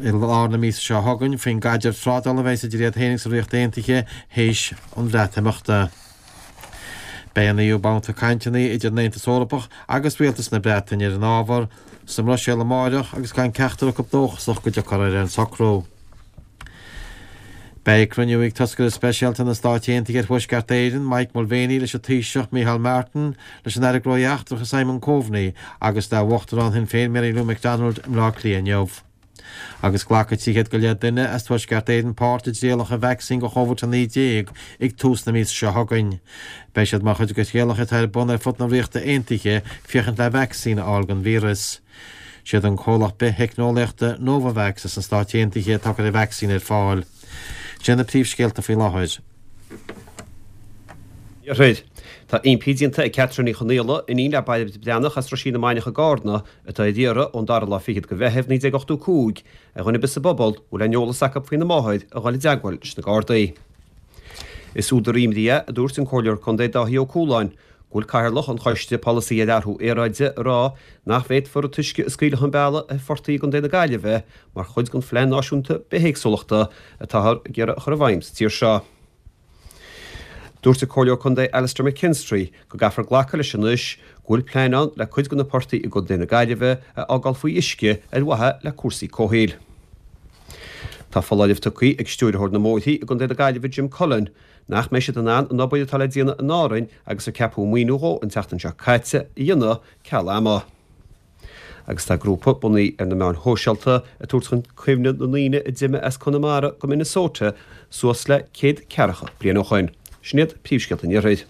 i lár na míosa seo chugainn faoin gcaidreamh trádála a bheas idir iad féin agus an Ríocht Aontaithe théis an Bhreatimeachta. Beidh an naoú babhta cainteanna idir an Aontas Eorpach agus Rialtas na Breataine ar an ábhar sa mBruiséil amáireach agus gan ceachtar acu dóchasach go dtiocfar ar aon socrú. Beidh cruinniú ag toscaire speisialta na Stáit Aontaithe ar Thuaisceart Éireann, Mike Mulvaney leis an Taoiseach Micheál Martin, leis an Aire Gnóthaí Eachtracha Simon Coveney agus le Uachtarán Shinn Féin Mary Lou McDonald i mBleá Cliath inniu. Agus glacfaidh trí chéad go leith duine as Tuaisceart Éireann páirt i dtrialacha vacsaín do Chóivid a naoi déag ag tús na míosa seo chugainn. Beidh siad mar chuid de thrialacha atá ar bun ar fud na Ríochta Aontaithe féachaint le vacsaín a fháil don víreas. Siad an comhlacht bith-theicneolaíochta Novavax as na Stáit Aontaithe atá ag cur an vacsaín ar fáil. Sin na príomhscéalta faoi láthair. Iarthair. Tá impí déanta ag Catherine Uí Chonaola, iníon le Bairbre Breathnach as Roisín na Mainiach i gCarna, atá ar iarraidh ón dara lá fichead de Mheitheamh naoi déag ochtó cúig, ar dhuine ar bith sa bpobal a bhfuil aon eolas acu faoina máthair a dhul i dteagmháil leis na Gardaí. Is údar imní é, a dúirt an Comhairleoir Contae Dáithí Ó Cualáin, go bhfuil Cathaoirleach an Choiste Polasaí ar Athrú Aeráide ag rá nach bhféadfar an t-uisce a scaoileadh chun bealaigh ar phortaigh i gContae na Gaillimhe mar chuid den Phlean Náisiúnta Bithéagsúlachta atáthar ag iarraidh a chur i bhfeidhm sa tír seo. Dúirt an Comhairleoir Contae Alastair McKinstry go gcaithfear glacadh leis anois go bhfuil plean ann le cuid de na portaigh i gContae na Gaillimhe a fhágáil faoi uisce ar mhaithe le cúrsaí comhshaoil. Tá foláireamh tugtha ag Stiúrthóir na mBóithrí i gContae na Gaillimhe Jim Cullen nach mbeidh siad in ann an obair atá le déanamh in Árainn agus ar ceapadh maoiniú dhó an tseachtain seo caite a dhéanamh ceal ama. Agus tá grúpa bunaithe ar na meáin shóisialta ag tabhairt chun cuimhne na ndaoine a d'imigh as Conamara go Minnesota suas le céad ceathracha bliain ó shoin. Sin iad príomhscéalta an Iarthair.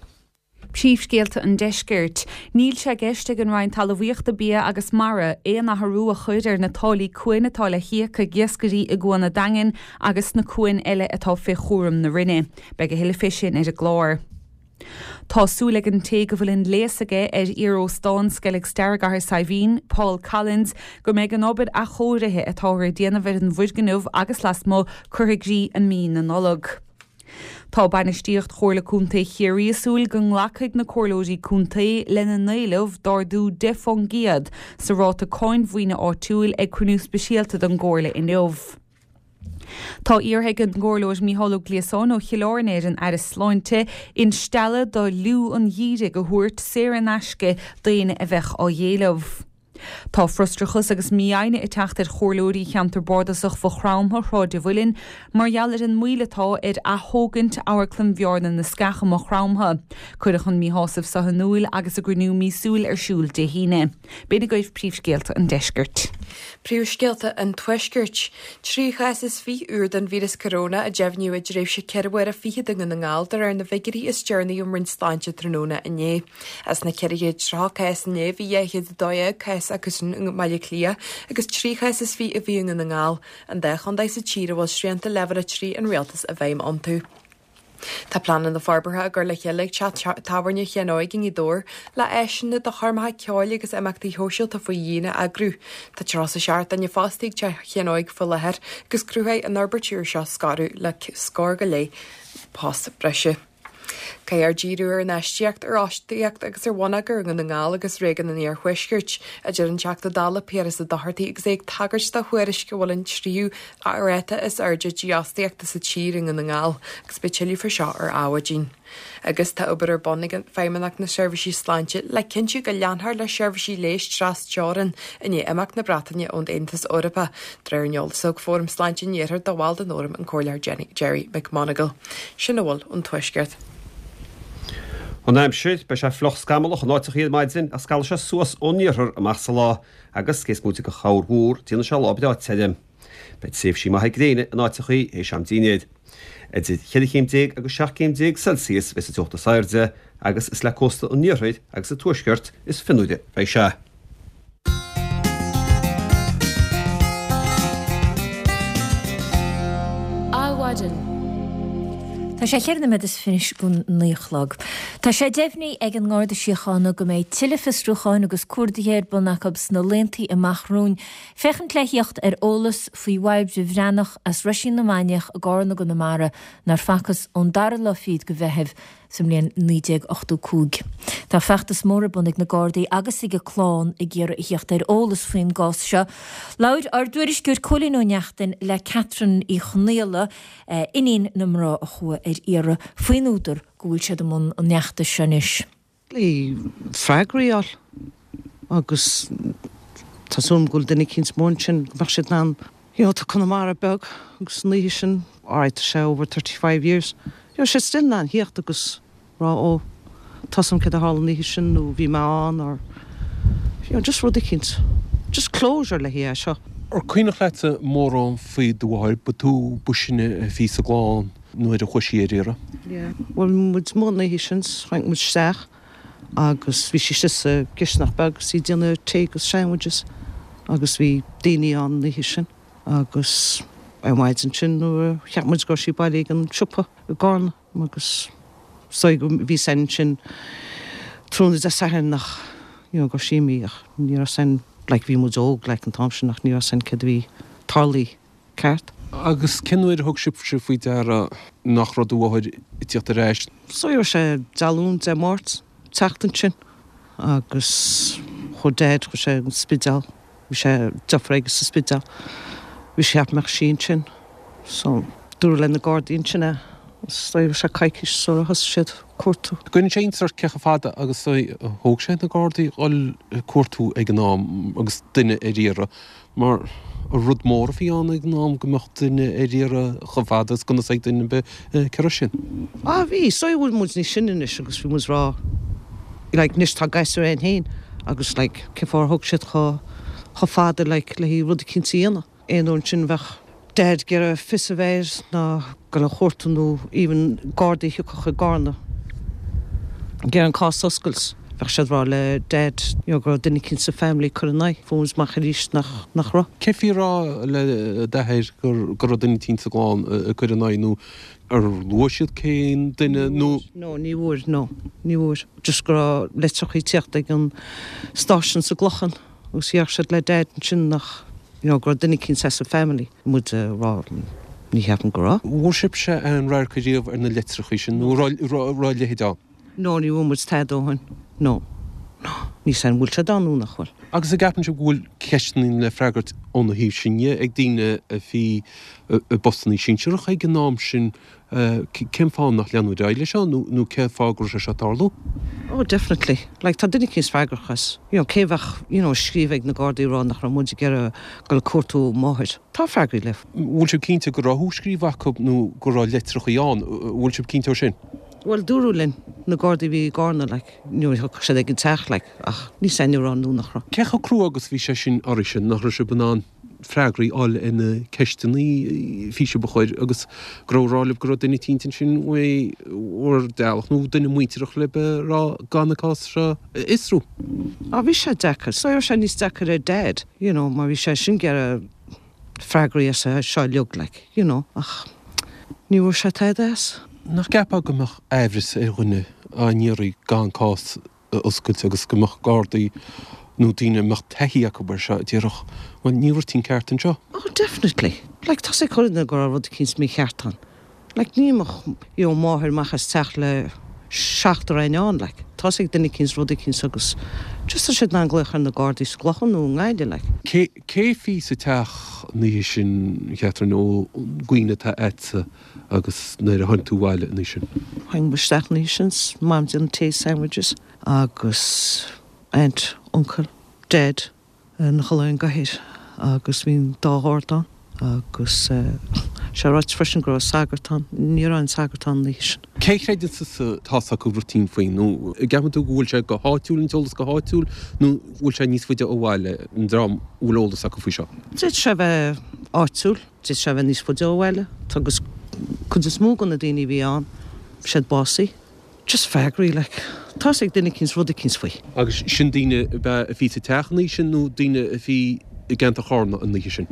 Príomhscéalta an Deiscirt. Níl sé i gceist ag an Roinn Talmhaíochta, Bia agus Mara aon athrú a chur ar na táillí cuain atá le híoc ag iascairí i gCuan an Daingin agus sna cuain eile atá fé chúram na Roinne. Beidh a thuilleadh fé sin ar an gclár. Tá súil ag an té go bhfuil an léas aige ar iaróstán Sceilg Stair i gCathair Saidhbhín, Paul Collins, go mbeidh an obair athchóirithe atáthar a déanamh ar an bhfoirgneamh agus lasmuigh curtha i gcrích i mí na Nollag. Tá bainistíocht Chomhairle Contae Chiarraí ag súil go nglacfaidh na comhairleoirí contae lena n-éileamh d'ardú deich faoin gcéad sa ráta cáin mhaoine áitiúil ag cruinniú speisialta den gComhairle inniu. Tá iarrtha ag an gComhairleoir Mícheál Ó Gliasáin ó Chill Airne ar an Aire Sláinte instealladh do fhliú an gheimhridh a thabhairt saor in aisce d'éinne a bheadh á éileamh. Tá frustrachas agus mífhoighne ag teacht ar chomhairleoirí cheantar bardasach Mhaigh Chromtha Shráid an Mhuilinn mar gheall ar an moill atá ar aththógaint Amharclann Bhearna na Sceach i Maigh Chromtha. Cuireadh an míshásamh seo in iúl agus a gcruinniú míosúil ar siúl Dé hAoine. B'in agaibh príomhscéalta an deiscirt. Príomhscéalta an Tuaiscirt. Trí chás is fiche úr den víreas coróna a deimhníodh i dtréimhse ceithre huaire fichead i nDún na nGall de réir na bhfigiúirí is deireanaí ón Roinn Sláinte tráthnóna inné. As na ceithre chéad tríocha cás inné bhí dhá chéad a dó dhéag cás acusan i mBaile Átha Cliath agus trí chás is fiche a bhí i nDún na nGall, an dá chontae sa tír a bhfuil srianta leibhéal a trí an rialtais i bhfeidhm iontu. Tá pleananna forbartha á gcur le chéile ag teach tábhairne Sheáin Óig i nGaoth Dobhair le áiseanna do choirmeacha ceoil agus imeachtaí shóisialta faoi dhíon a eagrú. Tá tríocha a seacht duine fostaithe ag teach Sheáin Óig faoi láthair agus cruthóidh an fhorbairt úr seo scaradh le scór go leith post breise. Caithfear díriú ar infheistíocht, ar fhostaíocht agus ar bhonneagar i nDún na nGall agus réigiún an Iarthuaiscirt, a deir an Teachta Dála Piaras Ó Dochartaigh agus é ag tagairt do thuairisc go bhfuil an tríú ráta is airde dífhostaíochta sa tír i nDún na nGall agus beidh tuilleadh faoi seo ar Adhmhaidin. Agus tá obair ar bun ag Feidhmeannacht na Seirbhísí Sláinte le cinntiú go leanfar le seirbhísí leighis tras-teorann i ndiaidh imeacht na Breataine ón Aontas Eorpach, de réir an eolais a thug Fóram Sláinte an Iarthair do bhall den fhóram, an Comhairleoir Gerry McMonagall. Sin a bhfuil ón Tuaisceart. An aimsir, beidh sé fliuch scamallach in áiteachaí ar maidin ach scalfaidh sé suas ón iarthar amach sa lá agus, cé is móite de chorrmhúr, déanfaidh sé lá breá tirim. Beidh tréimhsí maithe gréine in áiteachaí théis am dinnéir. Idir cheithre chéim déag agus seacht gcéim déag Celsius a bheas an teocht is airde agus is le cósta an iarthair agus an tuaiscirt is fionnuaire a bheidh sé. Adhmhaidin. Tá sé cheithre nóiméad is fiche go naoi a chlog. Tá sé deimhnithe ag an nGarda Síochána go mbeidh tuilleadh fiosrúcháin agus cuardaithe ar bun acu sna laethanta amach romhainn féachaint le thíocht ar eolas faoi Bhairbre Bhreathnach as Roisín na Mainiach i gCarna i gConamara nár facthas ón dara lá fichead de Mheitheamh sa mbliain naoi déag ochtó cúig. Tá feachtas mór ar bun ag na Gardaí agus ag a clann ag iarraidh a thíocht ar eolas faoin gcás seo. Labhair ár dtuairisceoir Cóilín Ó Neachtain le Catherine Uí Chonaola, iníon na mná a chuaigh ar iarraidh, faoin údar go bhfuil siad i mbun an fheachtais seo anois. Le freagraí a fháil agus tá súil agam go bhfuil duine eicínt mór ansin go mbeadh siad in ann, you know, tá Conamara beag agus an oíche sin, alright tá sé over thirty five years, you know, siad still in ann thíocht agus rá ó tá 's a'm céard a tharla an oíche sin nó bhí mé ann or you know, just rud eicínt, just closure le haghaidh é seo. Ar cuimhneach leatsa mórán faoi do mháthair, ba tú ba sine a bhí sa gclann nuair a chuaigh sí ar iarraidh? Yeah, bhuel bhí muid amuigh an oíche sin, tháinig muid isteach agus bhí sí istigh sa gcisteanach beag agus í ag déanamh tae agus sandwiches agus bhí daoine ann an oíche sin agus ar maidin sin nuair a cheap muid go raibh sí bailithe ag an siopa i gCarna agus is dóigh go bhí 's a'inn ansin tráthnóna Dé Sathairn nach you know go raibh sí imithe ach ní raibh 's a'inn like bhí muid óg like an t-am sin ach ní raibh 's a'inn céard a bhí tarlaithe ceart. Agus cén uair a thug sibhse faoi deara nach raibh do mháthair ag tíocht ar ais? Is dóigh go raibh sé Dé Luain, Dé Máirt, an tseachtain sin agus chuaigh Dad, chuaigh sé an Spidéal, bhí sé deirfiúr aige sa Spidéal, bhí sé cheap go mbeadh sí ansin so dúradh le na Gardaí ansin é, is dóigh go raibh sé coicís sula thosaigh siad cuartú. Cuireann sé iontas ort cé chomh fada agus a thóg sé na Gardaí dhul ag cuartú ag an am agus duine ar iarraidh mar rud mór a bhí ann ag an am go mbeadh duine ar iarraidh chomh fada is gan fhios ag duine ar bith cé raibh sin. Ah bhí, is dóigh bhfuil muid níos sine anois agus bhí muid ag rá like anois tá gasúir againn féin agus like cén fáth ar thóg siad chomh chomh fada like le haghaidh rud eicínt a dhéanamh. Aon uair ansin bheadh Dad ag iarraidh fios a bheith air ná dul a chuartú nó even Gardaí a thiocfadh i gCarna ag iarraidh an cás a oscailt bheadh siad ag rá le Dad you know go raibh duine eicínt sa family ag cur ina aghaidh. Fuair muid amach arís nach nach raibh. Cén fáth a rá le d'athair gur go raibh duine eicínt sa gclann ag cur ina aghaidh nó ar luaigh siad cén duine nó. No, ní bhfuair, no, ní bhfuair. Just go raibh litreacha ag tíocht ag an stáisiún sa gClochán agus dhéarfadh siad le Dad ansin nach you know go raibh duine eicínt as an family. Muid ag rá ní cheapaim go raibh. Bhfuair sibhse aon radharc ariamh ar na litreacha sin nó raibh a leithéid ann? No, ní bhfuair muid tada ó shin. No. No. Níl 's a'm an bhfuil siad ann nó nach bhfuil. Agus an gceapann sibh go bhfuil ceisteanna le freagairt óna thaobh sin dhe ag daoine a bhí i bpostanna sinsearacha ag an am sin, cén fáth nach leanadh ar aghaidh leis seo nó cén fáth go raibh sé seo ag tarlú? Oh definitely. Like tá duine eicínt freagrach as. You know, cé a bheadh, you know, ag scríobh ag na Gardaí ag rá nach raibh muid ag iarraidh dul ag cuartú máthair. Tá freagraí le. Bhfuil sibh cinnte go raibh scríofa acu nó go raibh litreachaí ann? Bhfuil sibh cinnte ó sin? Bhuel, dúradh linn, na Gardaí a bhí i gCarna, like, nuair a thiocfadh siad ag an teach, like, ach níl 's a'm an raibh nó nach raibh. Cé chomh crua agus bhí sé sin oraibhse, nach raibh sibh in ann freagraí a fháil ar na ceisteanna a bhí sibh a chur agus go raibh ag rá libh go raibh duine eicínt ansin uaidh bhur dteaghlach nó duine muintearach libh ag rá gan an cás seo a fhiosrú? Á, bhí sé deacair. So bhí sé níos deacair ar Dad, you know, mar bhí sé sin ag iarraidh freagraí as seo uilig, like, you know, ach ní bhfuair sé tada as. Nach gceapfá go mbeadh aimhreas ar dhuine á n-iarraidh gan cás a oscailt agus go mbeadh Gardaí nó daoine a mbeadh taithí acu air seo a déarfadh, bhuel, níl rud eicínt ceart anseo? Oh definitely. Like, tá 's ag chuile dhuine go raibh rud eicínt mícheart ann. Like, ní imeodh, you know, máthair amach as teach le seachtar eidhneán, like. Tá 's ag duine eicínt rud eicínt agus just tá siad in ann glaoch ar na Gardaí sa gClochán nó i nGaillimh, like. Cé, cé a bhí sa teach an oíche sin, a Chatherine, ón gcuimhne atá a'dsa agus nuair a tháinig tú abhaile an oíche sin? Tháinig muid isteach an oíche sin, 's Mam ag déanamh tae sandwiches agus aunt, uncle, dad ina chodladh ar an gcathaoir agus bhí an dá gharda ann agus sé ráite freisin go raibh sagart ann, ní raibh aon sagart ann an oíche sin. Cé a chreideann tusa tá's acu rud eicínt faoi nó an gceapann tú go bhfuil sé go háitiúil, an t-eolas go háitiúil nó bhfuil sé níos faide ó bhaile, an dream a bhfuil eolas acu faoi seo? D'fhéadfadh sé a bheith áitiúil, d'fhéadfadh sé a bheith níos faide ó bhaile, agus cuid is mó de na daoine a bhí ann, bhí siad básaithe. Just freagraí, like, tá's ag duine eicínt rud eicínt faoi. Agus sin daoine ab ea a bhí sa teach an oíche sin nó daoine a bhí i gceantar Chárna an oíche sin?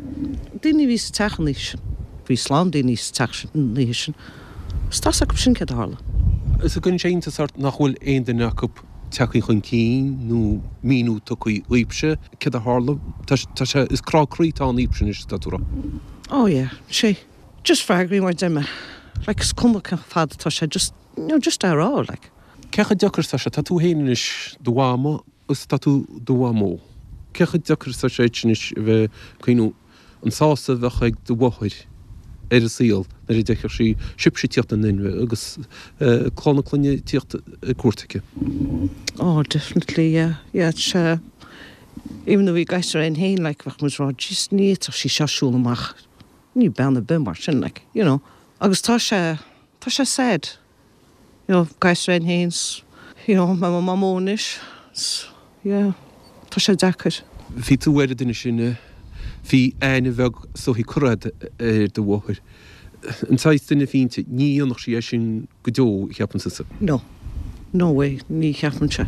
Daoine a bhí sa teach an oíche sin. Bhí slám daoine sa teach sin an oíche sin. Agus tá's acu sin céard a tharla. Is an gcuireann sé iontas ort nach bhfuil aon duine acu tagtha chun cinn nó míniú tugtha dhaoibhse céard a tharla? Tá sé, is crá croí atá ann daoibhse anois, atá tú a rá. Oh yeah, sé. Just freagraí mar a deir mé. Like, is cuma cén fad atá sé, just, you know, just é a rá, like. Cé chomh deacair is atá sé? Tá tú féin anois do mhama agus tá tú do mhamó. Cé chomh deacair is atá sé duit anois a bheith ag cuimhniú an sásamh a bheadh ag do mháthair ar an saol nuair a d'fheicfeadh sí sibhse ag tíocht in inmhe agus clann na clainne ag tíocht ar cuairt aici? Oh definitely yeah, yeah sea. Even though bhí gasúir againn féin like bheadh muid ag rá jeez ní fhéadfadh sí seo siúl amach, ní bean ar bith mar sin like, you know. Agus tá sé, tá sé sad. You know, gasúir againn féin 's, you know, mé i mo mhamó anois 's, yeah, tá sé deacair. Bhí tú ar an duine sin a bhí aithne bheag is dóichí curtha agat ar do mháthair. An saghas duine a bhí inti, ní dhéanfadh sí é sin go deo, cheapann tusa? No. No way, ní cheapaimse.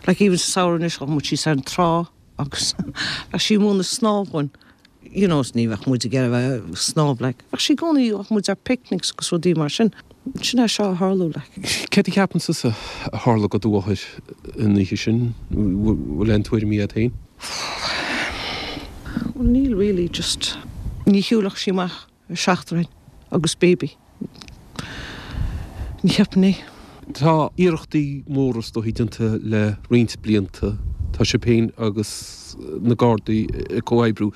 Like even sa samhradh anois, ghabh muid síos ar an trá agus bheadh sí ag múineadh snámh dhúinn. You know, ní bheadh muid ag iarraidh a bheith ag snámh, like. Bheadh sí i gcónaí, ghabh muid ar picnics agus rudaí mar sin. Sin é seo a tharlú, like. Céard a cheapann tusa a tharla do do mháthair an oíche sin? Bhfuil aon tuairimí agat féin? Bhuel, níl really, just ní shiúlfadh sí amach ar seachtar againn agus baby. Ní cheapaim é. Tá iarrachtaí móra is dóichí déanta le roinnt blianta. Tá sibh féin agus na Gardaí ag comhoibriú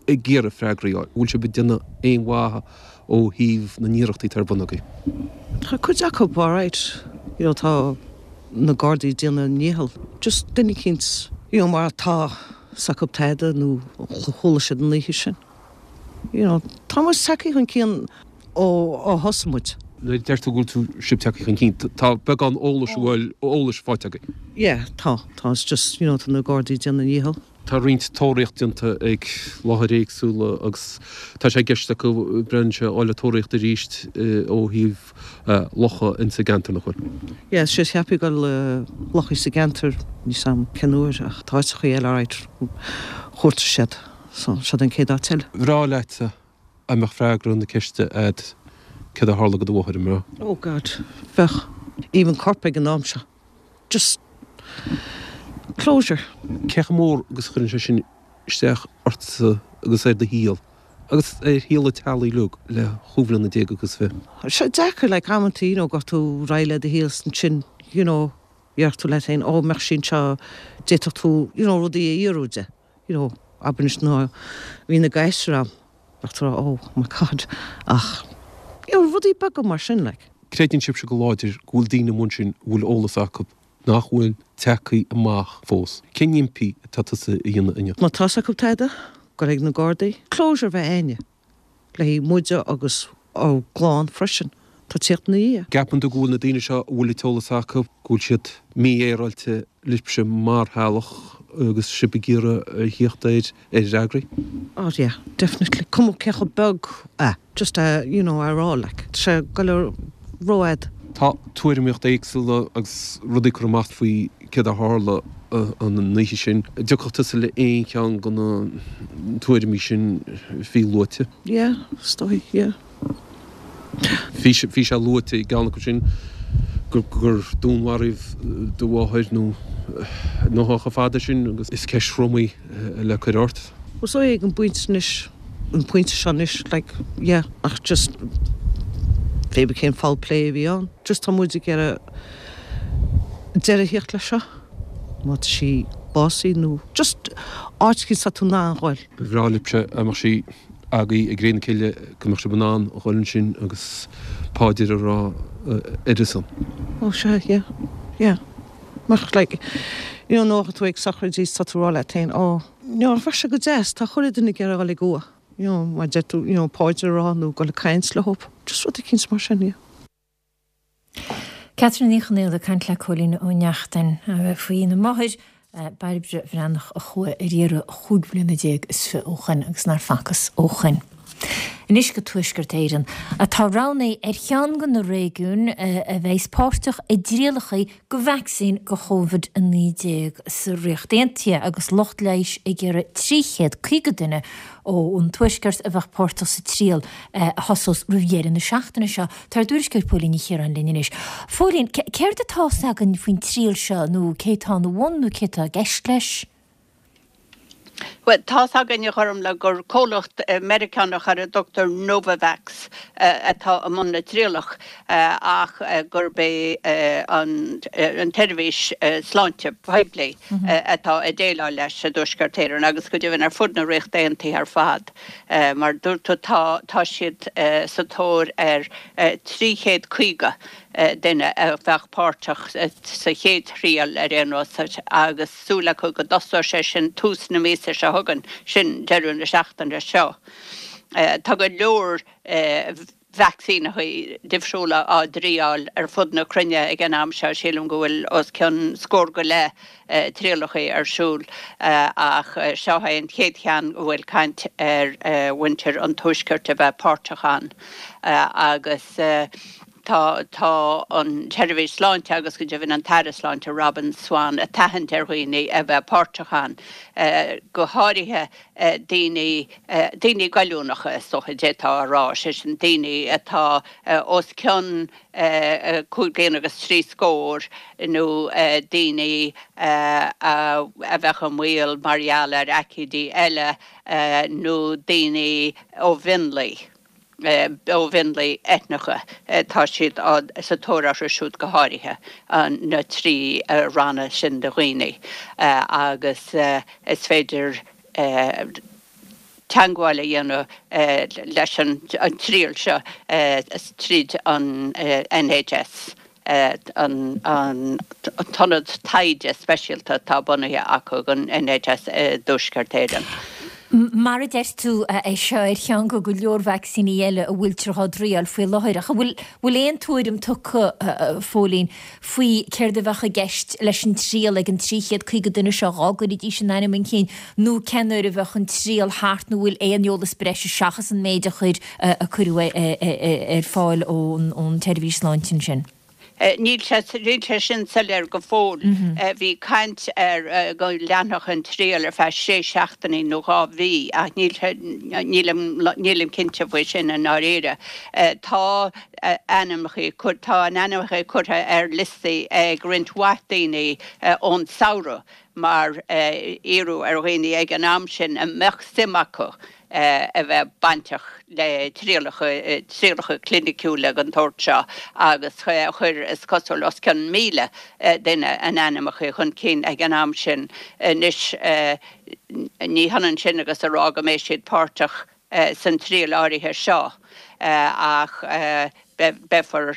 ag iarraidh freagraí a fháil. Bhfuil sibh ag déanamh aon mhaith ó thaobh na n-iarrachtaí atá ar bun agaibh? Tá cuid acu alright, you know, tá na Gardaí ag déanamh a ndícheall. Just duine eicínt, you know, mar tá 's acu tada nó chuala siad an oíche sin. You know, tá muid tagtha chun cinn ó ó thosaigh muid. Nuair a deir tú go bhfuil tú, sibh tagtha chun cinn, tá beagán eolais a bhfuil eolais faighte agaibh? Yeah, tá, tá, it's just, you know, tá na Gardaí ag déanamh a ndícheall. Tá roinnt tóraíocht déanta ag láthair éagsúla agus tá sé i gceist acu brainse a fháil ag tóraíocht arís ó thaobh locha insa gceantar, nach bhfuil? Yeah, sé cheapfaí go lochaí sa gceantar, níl 's a'm cén uair ach tá áiteachaí eile alright, chuartaigh siad, so siod an chéad áit eile. Bhreá leatsa dá mbeadh freagra na ceiste a'd céard a tharla do do mháthair, an mbeadh? Oh God, bheadh. Even corp ag an am seo. Just closure. Cé chomh mór agus a chuireann sé sin isteach ortsa agus ar do shaol agus ar shaol an teaghlaigh uilig le chúig bhliana déag agus fiche? Tá sé deacair like amantaí you know go tú réidh le do shaol ansin you know Dheir tú leat féin, ó mbeadh sí anseo, d'fhéadfadh tú, you know, rudaí a fhiafraí di, you know, abair anois nuair a bhí na gasúir a'm, bheadh tú a rá, oh my God, ach, you know, rudaí beaga mar sin, like. Creideann sibhse go láidir go bhfuil daoine amuigh ansin a bhfuil eolas acu nach bhfuil tagtha amach fós. Cén impí atá tusa a dhéanamh inniu? Má tá's acu tada, gabh ag na Gardaí. Closure a bheith a'inne le haghaidh muide agus ár gclann freisin. Tá tíocht ina dhiaidh. Ceapann tú go bhfuil na daoine seo a bhfuil an t-eolas acu, go bhfuil siad mífhéaráilte libhse mar theaghlach agus sibh ag iarraidh a thíocht ar ar fhreagraí? Oh yeah, definitely. Cuma cé chomh beag é, just a, you know, a rá like. Tá sé ag dul rófhada. Tá tuairimíocht éagsúla agus rudaí curtha amach faoi céard a tharla an oíche sin. An dtiocfadh tusa le aon cheann de na tuairimí sin a bhí luaite? Yeah, is dóigh, yeah. Bhí bhí sé luaite i gceann acu sin gur gur dúnmharaíodh do mháthair nó nó chomh fada sin agus is ceist throm í le cur ort. Well is dóigh ag an bpointe anois, an pointe seo anois, like, yeah, ach just pé ar bith cén foul play a bhí ann, just tá muid ag iarraidh deireadh a theacht leis seo, má tá sí básaithe nó just áit éicint atá tú in ann ghoil. Ba bhreá libhse dá mbeadh sí agaibh ag cré na cille go mbeadh sibh in ann a ghoil ansin agus paidir a rá ar a son. Ó sea, yeah, yeah. Mar like, you know, nuair atá tú ag sochraidí tá tú ag rá leat féin, ó, you know, bheadh sé go deas, tá chuile duine ag iarraidh a dhul ag uaigh, you know, mar deir tú, you know, paidir a rá nó dul ag caint leo, just rud eicínt mar sin, yeah. Catherine Ní Chonaola ag caint le Cóilín Ó Neachtain faoina máthair, Bairbre Bhreathnach a chuaigh ar iarraidh chúig bliana déag is fiche ó shoin agus nár facthas ó shoin. Anois go Tuaisceart Éireann, atá roghnaithe ar cheann de na réigiúin a bheas páirteach i dtrialacha de vacsaín do Covid a naoi déag sa Ríocht Aontaithe agus lucht leighis ag iarraidh trí chéad caoga duine ón Tuaisceart a bheadh páirteach sa triail a thosós roimh dheireadh na seachtaine seo. Tá ár dtuairisceoir Póilín Ní Chiaráin linn anois. Phóilín, céard atá 's againn faoin triail seo nó cé atá ina bhun nó cé atá i gceist leis? Bhuel, tá's againn a Ghormfhlaith gur comhlacht Meiriceánach ar a dtugtar Novavax atá i mbun na trialach ach gurb é an tseirbhís sláinte poiblí atá ag déileáil leis i dTuaisceart Éireann agus go deimhin ar fud na Ríochta Aontaithe ar fad. Mar a dúirt tú tá tá siad sa tóir ar trí chéad caoga duine a bheadh páirteach sa chéad thriail ar aon nós agus súil acu go dtosóidh sé sin tús na míosa seo chugainn, sin deireadh na seachtaine seo. Tá go leor vacsaíneacha difriúla á dtriáil ar fud na cruinne ag an am seo, sílim go bhfuil os cionn scór go leith trialacha ar siúl ach seo é an chéad cheann go bhfuil caint ar mhuintir an Tuaiscirt a bheith páirteach ann agus Tá tá an tSeirbhís Sláinte agus go deimhin an tAire Sláinte Robin Swann ag tathant ar dhaoine a bheith páirteach ann, go háirithe daoine daoine goilliúnacha is dócha d'fhéadfá a rá, sé sin daoine atá os cionn cúig bliana agus trí scór nó daoine a bheadh i mbaol mar gheall ar aicídí eile nó daoine ó mhionlaigh. ó mhionlaigh eitneacha. Tá siad sa tóir orthu siúd go háirithe, na trí ranna sin de dhaoine, agus is féidir teagmháil a dhéanamh leis an triail seo tríd an N H S. an t-ionad taighde speisialta atá bunaithe acu ag an N H S i dTuaisceart Éireann. Mar a deir tú, é seo ar cheann de go leor vacsaíní eile a bhfuiltear á dtriail faoi láthair. Ach an bhfuil bhfuil aon tuairim tugtha, a Phóilín, faoi céard a bheadh i gceist leis an triail ag an trí chéad caoga duine seo, dhá gcuirfidís a n-ainm chun cinn, nó cén uair a bheadh an triail thart nó bhfuil aon eolas breise seachas an méid a chuir a cuireadh ar fáil ón ón tseirbhís sláinte ansin? Níl sé níl sé sin soiléir go fóill. Bhí caint ar go leanfadh an triail ar feadh sé seachtainí nó dhá mhí ach níl nílim nílim cinnte faoi sin i ndáiríre. Tá ainmneacha, tá a n-ainmneacha curtha ar liostaí ag roinnt mhaith daoine ón samhradh mar iarradh ar dhaoine ag an am sin a mbeadh suim acu a bheith bainteach le trialacha, trialacha cliniciúla den tsórt seo agus chuir, is cosúil, os cionn míle duine a n-ainmneacha chun cinn ag an am sin. Anois, ní hionann sin agus a rá go mbeidh siad páirteach san triail áirithe seo ach beifear,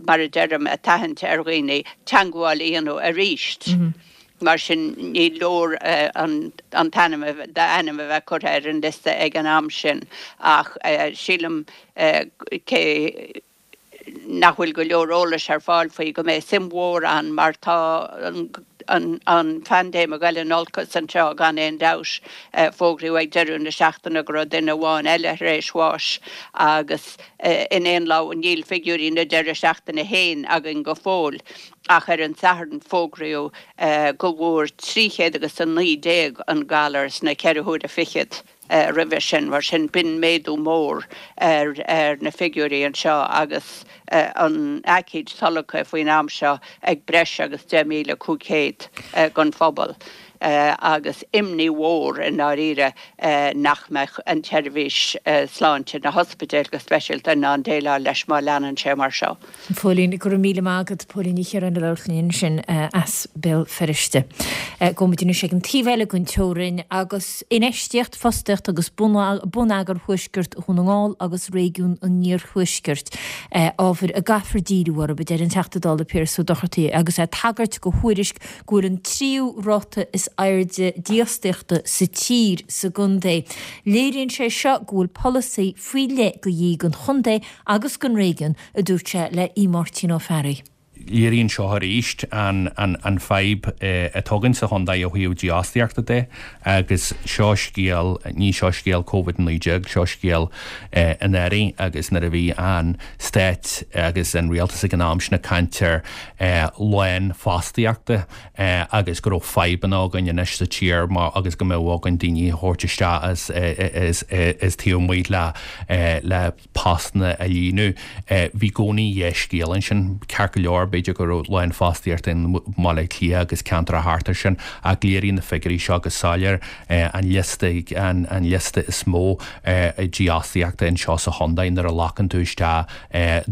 mar a deirim, ag tathant ar dhaoine teagmháil a dhéanamh arís. Mar sin, ní leor an t-ainm, d'ainm a bheith curtha ar an liosta ag an am sin ach sílim, cé nach bhfuil go leor eolais ar fáil faoi, go mbeidh suim mhór ann mar tá an phaindéim ag dul in olcas anseo gan aon dabht. Fógraíodh ag deireadh na seachtaine go raibh duine amháin eile tar éis bháis agus in aon lá, níl figiúirí na deireadh seachtaine féin againn go fóill ach ar an Satharn fógraíodh go bhfuair trí chéad agus a naoi déag an galar sna ceithre huaire fichead. roimhe sin. Mar sin, b'in méadú mór ar na figiúirí anseo agus an aicíd tolgtha faoin am seo ag breis agus deich míle cúig chéad den phobal agus imní mhór i ndáiríre nach mbeadh an tseirbhís sláinte, na hospidéil go speisialta, in ann déileáil leis má leanann sé mar seo. Póilín, Go raibh míle maith agat, Póilín Ní Chiaráin ag labhairt linn ansin as Béal Feirste. Gabhfaidh muid anois ag an taobh eile den teorainn agus infheistíocht, fostaíocht agus bonneagar Thuaisceart Dhún na nGall agus réigiún an Iarthuaiscirt, ábhair a gcaithfear díriú orthu, a deir an Teachta Dála Piaras Ó Dochartaigh agus é ag tagairt do thuairisc go bhfuil an tríú ráta is airde dífhostaíochta sa tír sa gcontae. Léiríonn sé seo go bhfuil polasaí faoi leith de dhíth don chontae agus don réigiún, a dúirt sé le Aodh Máirtín Ó Fearraigh. Léiríonn seo arís an fadhb atá againn sa chontae ó thaobh dífhostaíochta de agus seo scéal, ní seo scéal Covid a naoi déag, seo scéal anuraidh agus nuair a bhí an stát agus an rialtas ag an am sin ag caint ar lánfhostaíochta agus go raibh fadhbanna againn anois sa tír mar agus go mbeadh againn daoine a thabhairt isteach as as taobh amuigh le le postanna a líonadh. Bhí i gcónaí dhá scéal ansin. Ceart go leor, b'fhéidir go raibh lánfhostaíocht i mBaile Átha Cliath agus ceantracha thart air sin ach léiríonn na figiúirí seo go soiléir an liosta an liosta is mó dífhostaíochta anseo sa chontae nuair a ghlacann tú isteach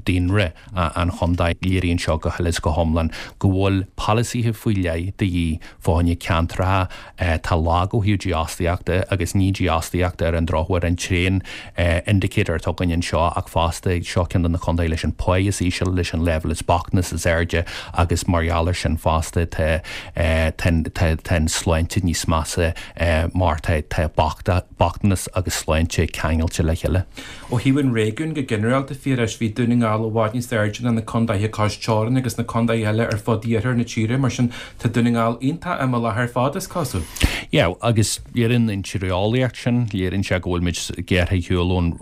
daonra an chontae. Léiríonn seo go huile is go hiomlán go bhfuil polasaithe faoi leith de dhíth fá choinne ceantracha atá lag ó thaobh dífhostaíochta agus ní dífhostaíocht ar an drochuair an t-aon indicator atá againn anseo ach fosta seo ceann de na contaetha leis an pá is íseal, leis an leibhéal is bochtanas is airde agus mar gheall air sin fosta tá tá an sláinte níos measa mar tá bochtanas agus sláinte ceangailte le chéile. Ó thaobh an réigiúin go ginearálta, Phiarais, bhí Dún na nGall i bhfad níos airde ná na contaetha cois teorann agus na contaetha eile ar fud iarthar na tíre, mar sin tá Dún na nGall iontach imeallach ar fad, is cosúil. Yeah, agus léiríonn an tíreolaíocht sin, léiríonn sé go bhfuil muid gearrtha ar shiúl ón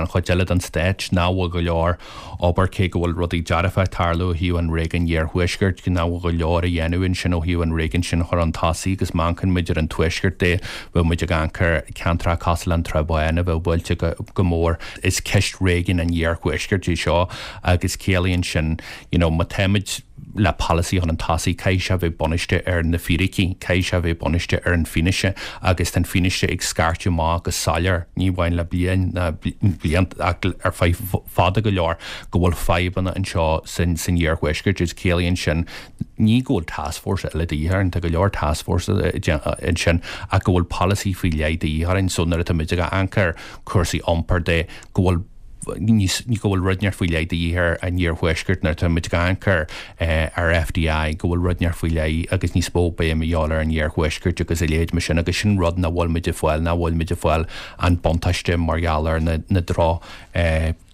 chuid eile den stát, nach bhfuil go leor obair, cé go bhfuil rudaí dearfa ag tarlú ó thaobh an réigiúin iarthuaiscirt, nach bhfuil go leor a dhéanamh ansin ó thaobh an réigiún sin a chur chun tosaigh agus má amharcann muid ar an tuaisceart de, bheadh muid ag amharc ar ceantracha cosúil le an Trá Bháin a bheadh buailte go mór. Is ceist réigiún an iarthuaiscirt é seo agus ciallaíonn sin, you know, má táimid le polasaí chun tosaigh, caithfidh sé a bheith bunaithe ar na fíricí, caithfidh sé a bheith bunaithe ar an bhfianaise agus tá an fianaise ag scairteadh amach go soiléir, ní amháin le bliain ná blianta ach ar feadh fada go leor, go bhfuil fadhbanna anseo san san iarthuaisceart agus ciallaíonn sin ní go bhfuil taskforce eile de dhíth orainn, tá go leor taskforce ansin ach go bhfuil polasaí faoi leith de dhíth orainn so nuair atá muid ag amharc ar cúrsaí iompair de go bhfuil níos go bhfuil rud inteacht faoi leith de dhíth ar an iarthuaisceart nuair atá muid ag amharc ar ar FDI go bhfuil rud inteacht faoi leith agus níos mó béim a dhíobháil ar an iarthuaisceart agus a leithéid mar sin agus sin rud nach bhfuil muid ag fáil nach bhfuil muid ag fáil an buntáiste mar gheall ar na na droch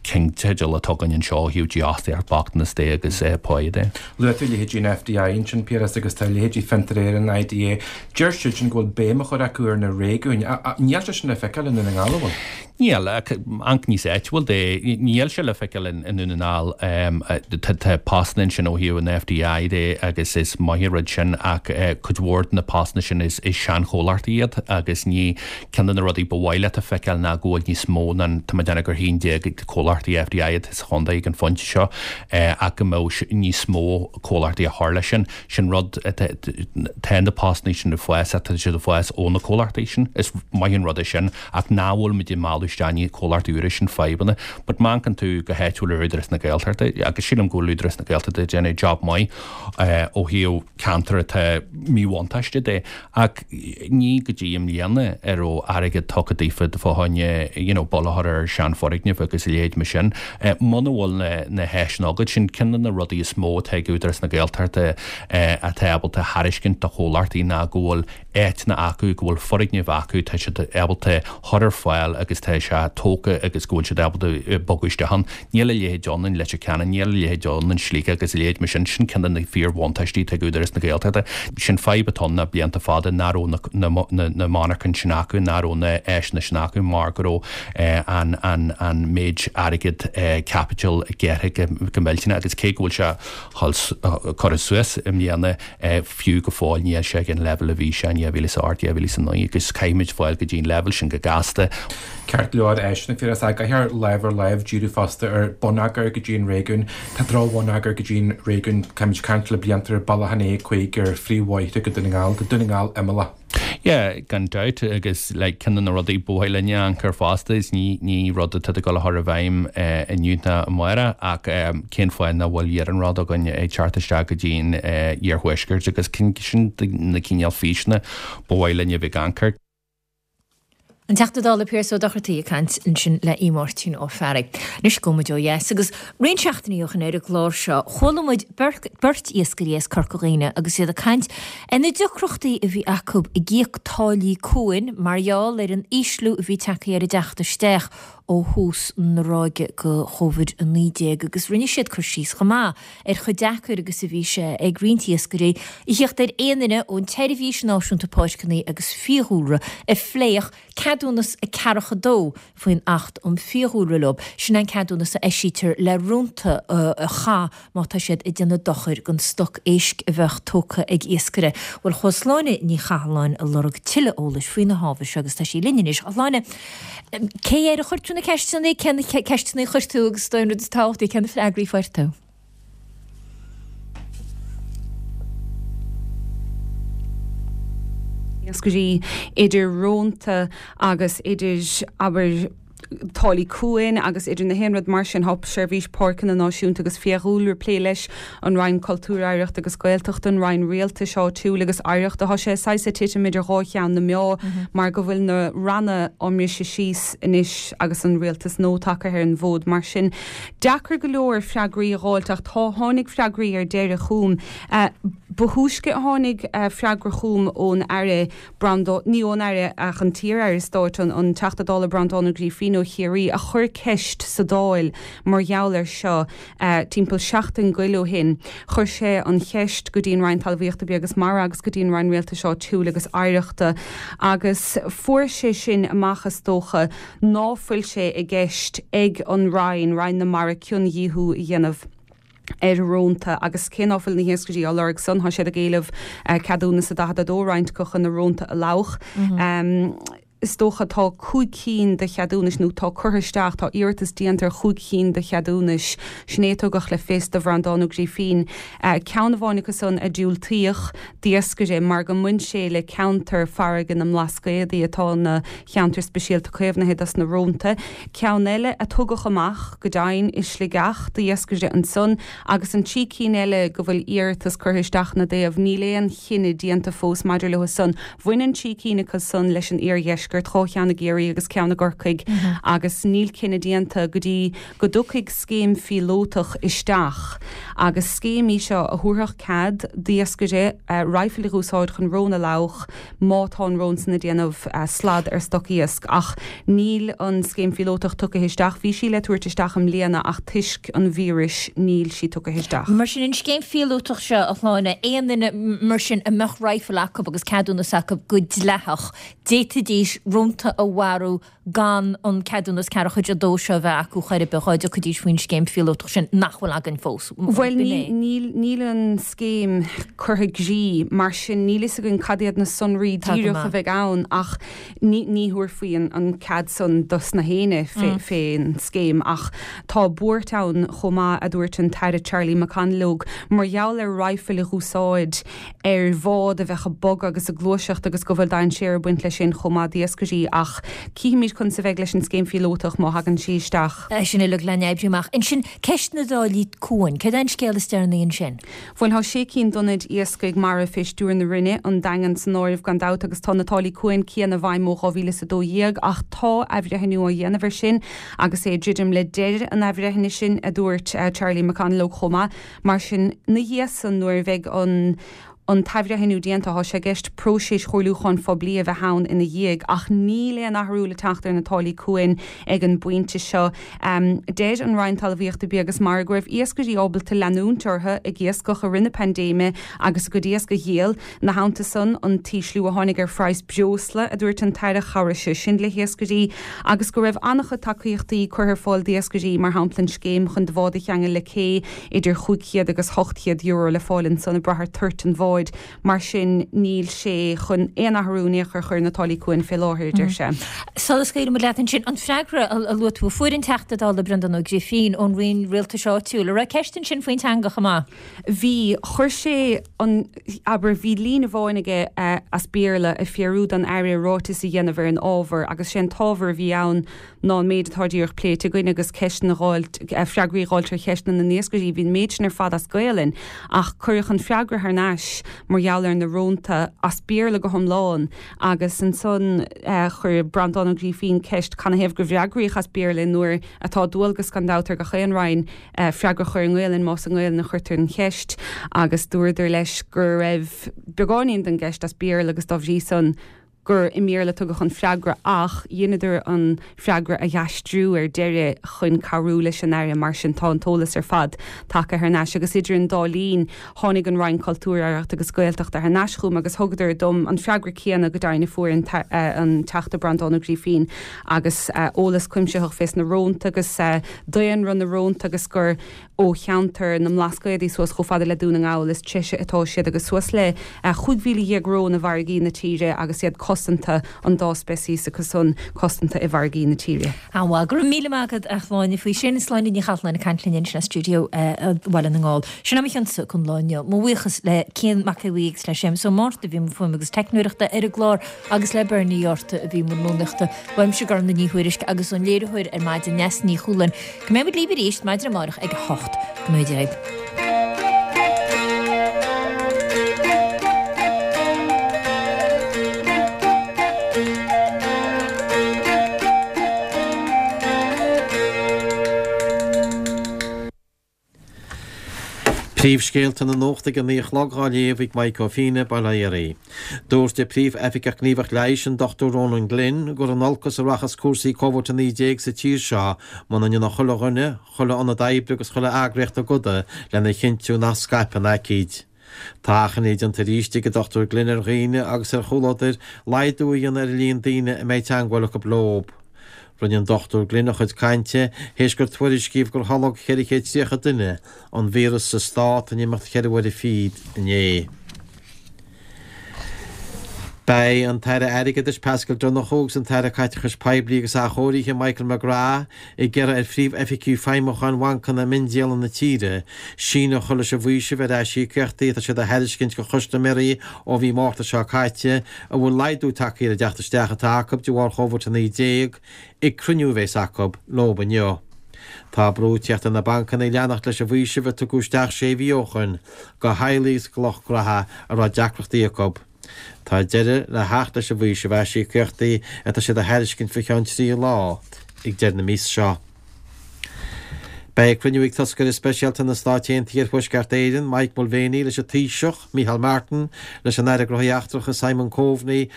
cheannteidil atá againn anseo ó thaobh dífhostaíocht, bochtanas de agus pá de. Luaigh tú leithéidí an FDI ansin, Piaras, agus tá leithéidí Fiontar Éireann, IDA, deir siadsan go bhfuil béim á chur acu ar na réigiúin. Níl sé sin le feiceáil i nDún na nGall, an bhfuil? Níl, ach amharc níos áitiúil de, níl sé le feiceáil i nDún na nGall. Tá postanna ansin ó thaobh an FDI de agus is maith an rud sin ach cuid mhór de na postanna sin is seanchomhlachtaí iad agus ní ceann de na rudaí ba mhaith leat a feiceáil ná go bhfuil níos mó ná, tá mé ag déanamh gur haon déag comhlachtaí FDI atá sa chontae ag an phointe seo ach go mbeadh níos mó comhlachtaí a chur leis sin. Sin rud, tá na postanna sin ag fás ach tá siad ag fás ó na comhlachtaí sin. Is maith an rud é sin ach nach bhfuil muid ag mealladh isteach ní comhlachtaí úra sin fadhbanna but má amharcann tú go háitiúil ar Údarás na Gaeltachta agus sílim go bhfuil Údarás na Gaeltachta ag déanamh job maith ó thaobh ceantar atá míbhuntáiste de ach ní go dtí i mbliana a raibh airgead tugtha daofa fá choinne you know bail a chur ar seanfhoirgnimh agus a leithéid mar sin. Muna bhfuil na na háiseanna agat sin ceann de na rudaí is mó atá ag Údarás na Gaeltachta atá ábalta a thairiscint do chomhlachtaí ná go bhfuil áiteanna acu, go bhfuil foirgnimh acu, tá siad ábalta chur ar fáil agus tá sé tógtha agus go bhfuil siad ábalta bogadh isteach ann. Níl a leithéid ann in Leitir Ceanainn, níl a leithéid ann in Sligeach agus a leithéid mar sin. Sin ceann de na fíorbhuntáistí atá ag Údarás na Gaeltachta. Sin fadhb atá ann le blianta fada, nach raibh na monarchain sin acu, nach raibh na áiseanna sin acu mar go raibh an an méid airgead caipitil gearrtha go millteanach agus cé go bhfuil sé curtha suas i mbliana, Fiú go fóill níl sé ag an leibhéal a bhí sé in dhá mhíle is a hocht, dhá mhíle is a naoi agus caithfimid fáil go dtí an leibhéal sin go gasta. Ceart go leor áiseanna Phiarais ach caithfear lámh ar láimh díriú fosta ar bonneagar go dtí an réigiún. Tá drochbhonneagar go dtí an réigiún, táimid ag caint le blianta ar bealach an A cúig ar phríomhbhóithre go Dún na nGall. Tá Dún na nGall imeallach. Yeah, gan dabht, agus like ceann de na rudaí ba mhaith linne amharc air fosta is ní ní rud atá ag dul a chur i bhfeidhm inniu ná amárach ach cén fáth nach bhfuil iarnród againn ag teacht isteach go dtí an iarthuaisceart agus sin na cineál físeanna ba mhaith linne a bheith ag amharc air. An Teachta Dála Pearse Ó Dochartaigh ag caint ansin le Aodh Máirtín Ó Fearraigh. Anois gabhfaidh muid ó dheas agus roinnt seachtainí ó shin ar an gclár seo chuala muid beirt iascairí as Corca Dhuibhne agus iad ag caint ar na deacrachtaí a bhí acu ag íoc táillí cuain mar gheall ar an ísliú a bhí tagtha ar a dteacht isteach ó thús na ráige de Chóivid a naoi déag agus rinne siad cur síos chomh maith ar chomh deacair agus a bhí sé ag roinnt iascairí a theacht ar aon duine ón tSeirbhís Náisiúnta Páirceanna agus Fiadhúlra a phléifeadh ceadúnas a ceathracha dó faoin Acht um Fiadhúlra leo. Sin an ceadúnas a eisítear le rónta a chaith má tá siad ag déanamh dochair don stoc éisc a bheadh tógtha ag iascaire. Bhuel, chuaigh Sláine Ní Chathalláin ag lorg tuilleadh eolais faoi na hábhair seo agus tá sí linn anois. A Shláine, cé air a chuir tú na ceisteanna, cé na ceisteanna a chuir tú agus an rud is tábhachtaí, cé na freagraí a fuair tú? Iascairí idir rónta agus idir, abair, táillí cuain agus idir na haon rud mar sin. Tá Seirbhís Páirceanna Náisiúnta agus Fiadhúlra ag plé leis, an Roinn Cultúir, Oidhreachta agus Gaeltachta, an Roinn Rialtais Áitiúil agus Oidhreachta. Tá sé saghas ag titim idir dhá cheann na meá mar go bhfuil na ranna á mbriseadh síos anois agus an rialtas nua tagtha ar an bhfód. Mar sin, deacair go leor freagraí a dh'fháilt ach tá, tháinig freagraí ar deireadh chugam. Ba thúisce a tháinig freagra chugam ón Aire Breandán, ní ón Aire ach an t-iar-Aire Stáit, an Teachta Dála Breandán Ó Grífín ó Chiarraí, a chuir ceist sa Dáil mar gheall air seo timpeall seachtain goil ó shin. Chuir sé an cheist go dtí an Roinn Talmhaíochta, Bia agus Mara agus go dtí an Roinn Rialtais Áitiúil agus Oidhreachta agus fuair sé sin amach, is dócha, ná fuil sé i gceist ag an Roinn, Roinn na Mara, ciondíothú a dhéanamh. ar rónta agus cé ná fuil na hiascairí á lorg san, tá siad ag éileamh ceadúnas a daichead a dó roinnt acu chun na rónta a lamhach. Is dócha tá cúig cinn de cheadúnais nó tá curtha isteach, tá iarratas déanta ar chúig chinn de cheadúnais, sin é a tugadh le fios do Bhreandán Ó Grífín. Ceann amháin acu san a diúltaíodh d'iascaire mar go mbain sé le ceantar farraige na mBlascaodaí atá ina cheantar speisialta caomhnaithe dos na rónta. Ceann eile a tugadh amach, go deimhin, i Sligeach d'iascaire ansan agus an trí cinn eile go bhfuil iarratas curtha isteach ina dtaobh, níl aon chinneadh déanta fós maidir leo san. Bhain an trí cinn acu san leis an iardheisceart, dhá cheann i gCiarraí agus ceann i gCorcaigh agus níl cinneadh déanta go dtí go dtiocfaidh scéim phíolótach isteach agus scéim í seo a thabharfadh cead d'iascaire raidhfil a dh'úsáid chun rón a lamhach má tá an rón san ag déanamh slad ar stoc iasc ach níl an scéim phíolótach tugtha isteach. Bhí sí le tabhairt isteach i mbliana ach toisc an víris níl sí tugtha isteach. Mar sin an scéim phíolótach seo, a Shláine, aon duine mar sin a mbeadh raidhfil acu agus ceadúnas acu go dleathach, d'fhéadfaidís rónta a mharú gan an ceadúnas ceathair chuid a dó seo a bheith acu chor ar bith dá dtiocfaidís faoin scéim phíolótach sin nach bhfuil againn fós. Bhuel níl níl an scéim curtha i gcrích mar sin níl fhios againn cad iad na sonraí díreach a bheidh ann ach ní ní thabharfaí an an cead san dos na héinne fé fén scéim ach tá buairt ann chomh maith a dúirt an tAire Charlie McConalogue mar gheall ar raidhfil a dh'úsáid ar bhád a bheadh ag bogadh agus ag gluaiseacht agus go bhfuil dainséar ag baint leis sin chomh maith d'iascairí ach cífimid conas a bheidh leis an scéim phíolótach má thagann sí isteach. É sin uilig le n-oibriú amach. Ansin, ceist na dtáillí cuain, céard é an scéal is deireanaí ansin? Bhuel, tá sé cinn d'ionaid iascaigh mara fé stiúir na Roinne, an Daingean san áireamh gan dabht agus tá na táillí cuain céanna i bhfeidhm ó dhá mhíle is a dó dhéag ach tá athbhreithniú á dhéanamh air sin agus é ag druidim le deireadh an athbhreithnithe sin, a dúirt Charlie McConalogue chomh maith. Mar sin, 'na dhiaidh san, nuair a bheidh an an t-athbhreithniú déanta, tá sé i gceist próiseas chomhairliúcháin phoiblí a bheith ann ina dhiaidh ach níl aon athrú le teacht ar na táillí cuain ag an bpointe seo. Deir an Roinn Talmhaíochta, Bia agus Mara go raibh iascairí ábalta leanúint orthu ag iascach i rith na paindéime agus a gcuid iasc a dhíol. Ina theannta san, an t-ísliú a tháinig ar phraghas breosla, a dúirt an tAire, chabhraigh sé sin le hiascairí agus go raibh an-chuid tacaíochtaí curtha ar fáil d'iascairí, mar shampla an scéim chun do bhád a cheangal le cé, idir chúig chéad agus ocht chéad euro le fáil ansan ag brath ar toirt an bháid. Mar sin níl sé chun aon athrú in aon chor a chur ar na táillí cuain fé láthair, a deir sé. Sula scaoilfidh muid leat ansin, an freagra a luaigh tú a fuair an Teachta Dála Breandán Ó Grifín ón Roinn Rialtais Áitiúil, an raibh ceist ansin faoin teanga chomh maith? Bhí. Chuir sé an, abair, bhí líne amháin aige as Béarla ag fiafraí don Aire ráiteas a dhéanamh ar an ábhar agus sé an t-ábhar a bhí ann ná an méid atá díreach pléite againn agus ceisteanna a dh'fháilt, freagraí a dh'fháilt ar cheisteanna na n-iascairí. Bhí an méid sin ar fad as Gaelainn ach cuireadh an freagra thar n-ais mar gheall ar na rónta as Béarla go hiomlán agus ansan chuir Breandán Ó Grífín ceist canathaobh gur fhreagraíodh as Béarla nuair atá dualgas gan dabht ar gach aon Roinn freagra a chur i nGaelainn más i nGaelainn a chuirtear an cheist agus dúradar leis go raibh beagáinín den gceist as Béarla agus dá bhrí san gur i mBéarla a tugadh an freagra ach dheineadar an freagra a dh'aistriú ar deireadh chun cabhrú leis an Aire mar sin tá an t-eolas ar fad tagtha thar n-ais agus idir an dá linn tháinig an Roinn Cultúir, Oidhreachta agus Gaeltachta thar n-ais chugam agus thugadar dom an freagra céanna go deimhin a fuair an Teachta Breandán Ó Grífín agus eolas cuimsitheach fés na rónta agus daonra na rónta agus gur ó cheantar na mBlascaodaí suas chomh fada le Dún na nGall is treise atá siad agus suas le chúig mhíle dhéag rón i bhfarraigí na tíre agus iad cosanta, an dá speiceas acu san cosanta i bhfarraigí na tíre. An-mhaith. Go raibh míle maith agat a Shláine faoi sin. Sláine Ní Chathalláin ag caint linn ansin as stiúideo Bhaile na nGall. Sin é mo chionsa don lá inniu. Mo bhuíochas le Cian Mac Aodha Bhuí agus le Séamus Ó Márta a bhí i mbun fuaime agus teicneoireachta ar an gclár agus le Bernie Yorta a bhí i mbun rúnaíochta. Uaimse Gormfhlaith Ní Thuairisg agus ón léiritheoir ar maidin Neasa Ní Chualáin. Go mbeidh muid libh arís maidin amárach ag a hocht. Go ngnóthaí Dia dhaoibh. Príomhscéalta na Nuachta ag a naoi a chlog á léamh ag Maidhc Ó Fianna, Baile Átha Rí. Dúirt an Príomh-Oifigeach Gníomhach Leighis, an Dochtúir Ronan Glynn, gur in olcas a rachas cúrsaí Covid a naoi déag sa tír seo muna ndéanfaidh chuile dhuine, chuile ionad oibre agus chuile eagraíocht a gcoda lena chinntiú nach scaipfidh an aicíd. Tá achainí déanta arís ag an Dochtúir Glynn ar dhaoine agus ar chomhluadair laghdú a dhéanamh ar an líon daoine a mbeidh teagmháil acu leo. Rinne an Dochtúir Glynn a chuid cainte théis gur tuairiscíodh gur tholg ceithre chéad tríocha duine an víreas sa stát in imeacht cheithre huaire fichead inné. Beidh an tAire Airgeadais Paschal Donohoe agus an tAire Caiteachais Poiblí agus Athchóirithe Michael McGrath ag iarraidh ar phríomhoifigigh feidhmiúcháin bhancanna miondíola na tíre síneadh a chur leis an bhfaoiseamh ar aisíocaíochtaí atá siad a thairiscint do chustaiméirí ó mhí Márta seo caite a bhfuil laghdú tagtha ar an dteacht isteach atá acu de bharr Chóivid a naoi déag ag cruinniú a bheas acu leo inniu. Tá brú ag teacht ar na bancanna leanacht leis an bhfaoiseamh a tugadh isteach sé mhí ó shoin do theaghlaigh agus do lucht gnótha a raibh deacrachtaí acu. Tá deireadh le theacht leis an bhfaoiseamh aisíocaíochtaí atá siad a thairiscint faoi cheann trí lá ag deireadh na míosa seo. Beidh cruinniú ag toscaire speisialta na Stáit Aontaithe ar Thuaisceart Éireann, Mike Mulvaney, leis an Taoiseach, Micheál Martin, leis an Aire Gnóthaí Eachtracha, Simon Coveney,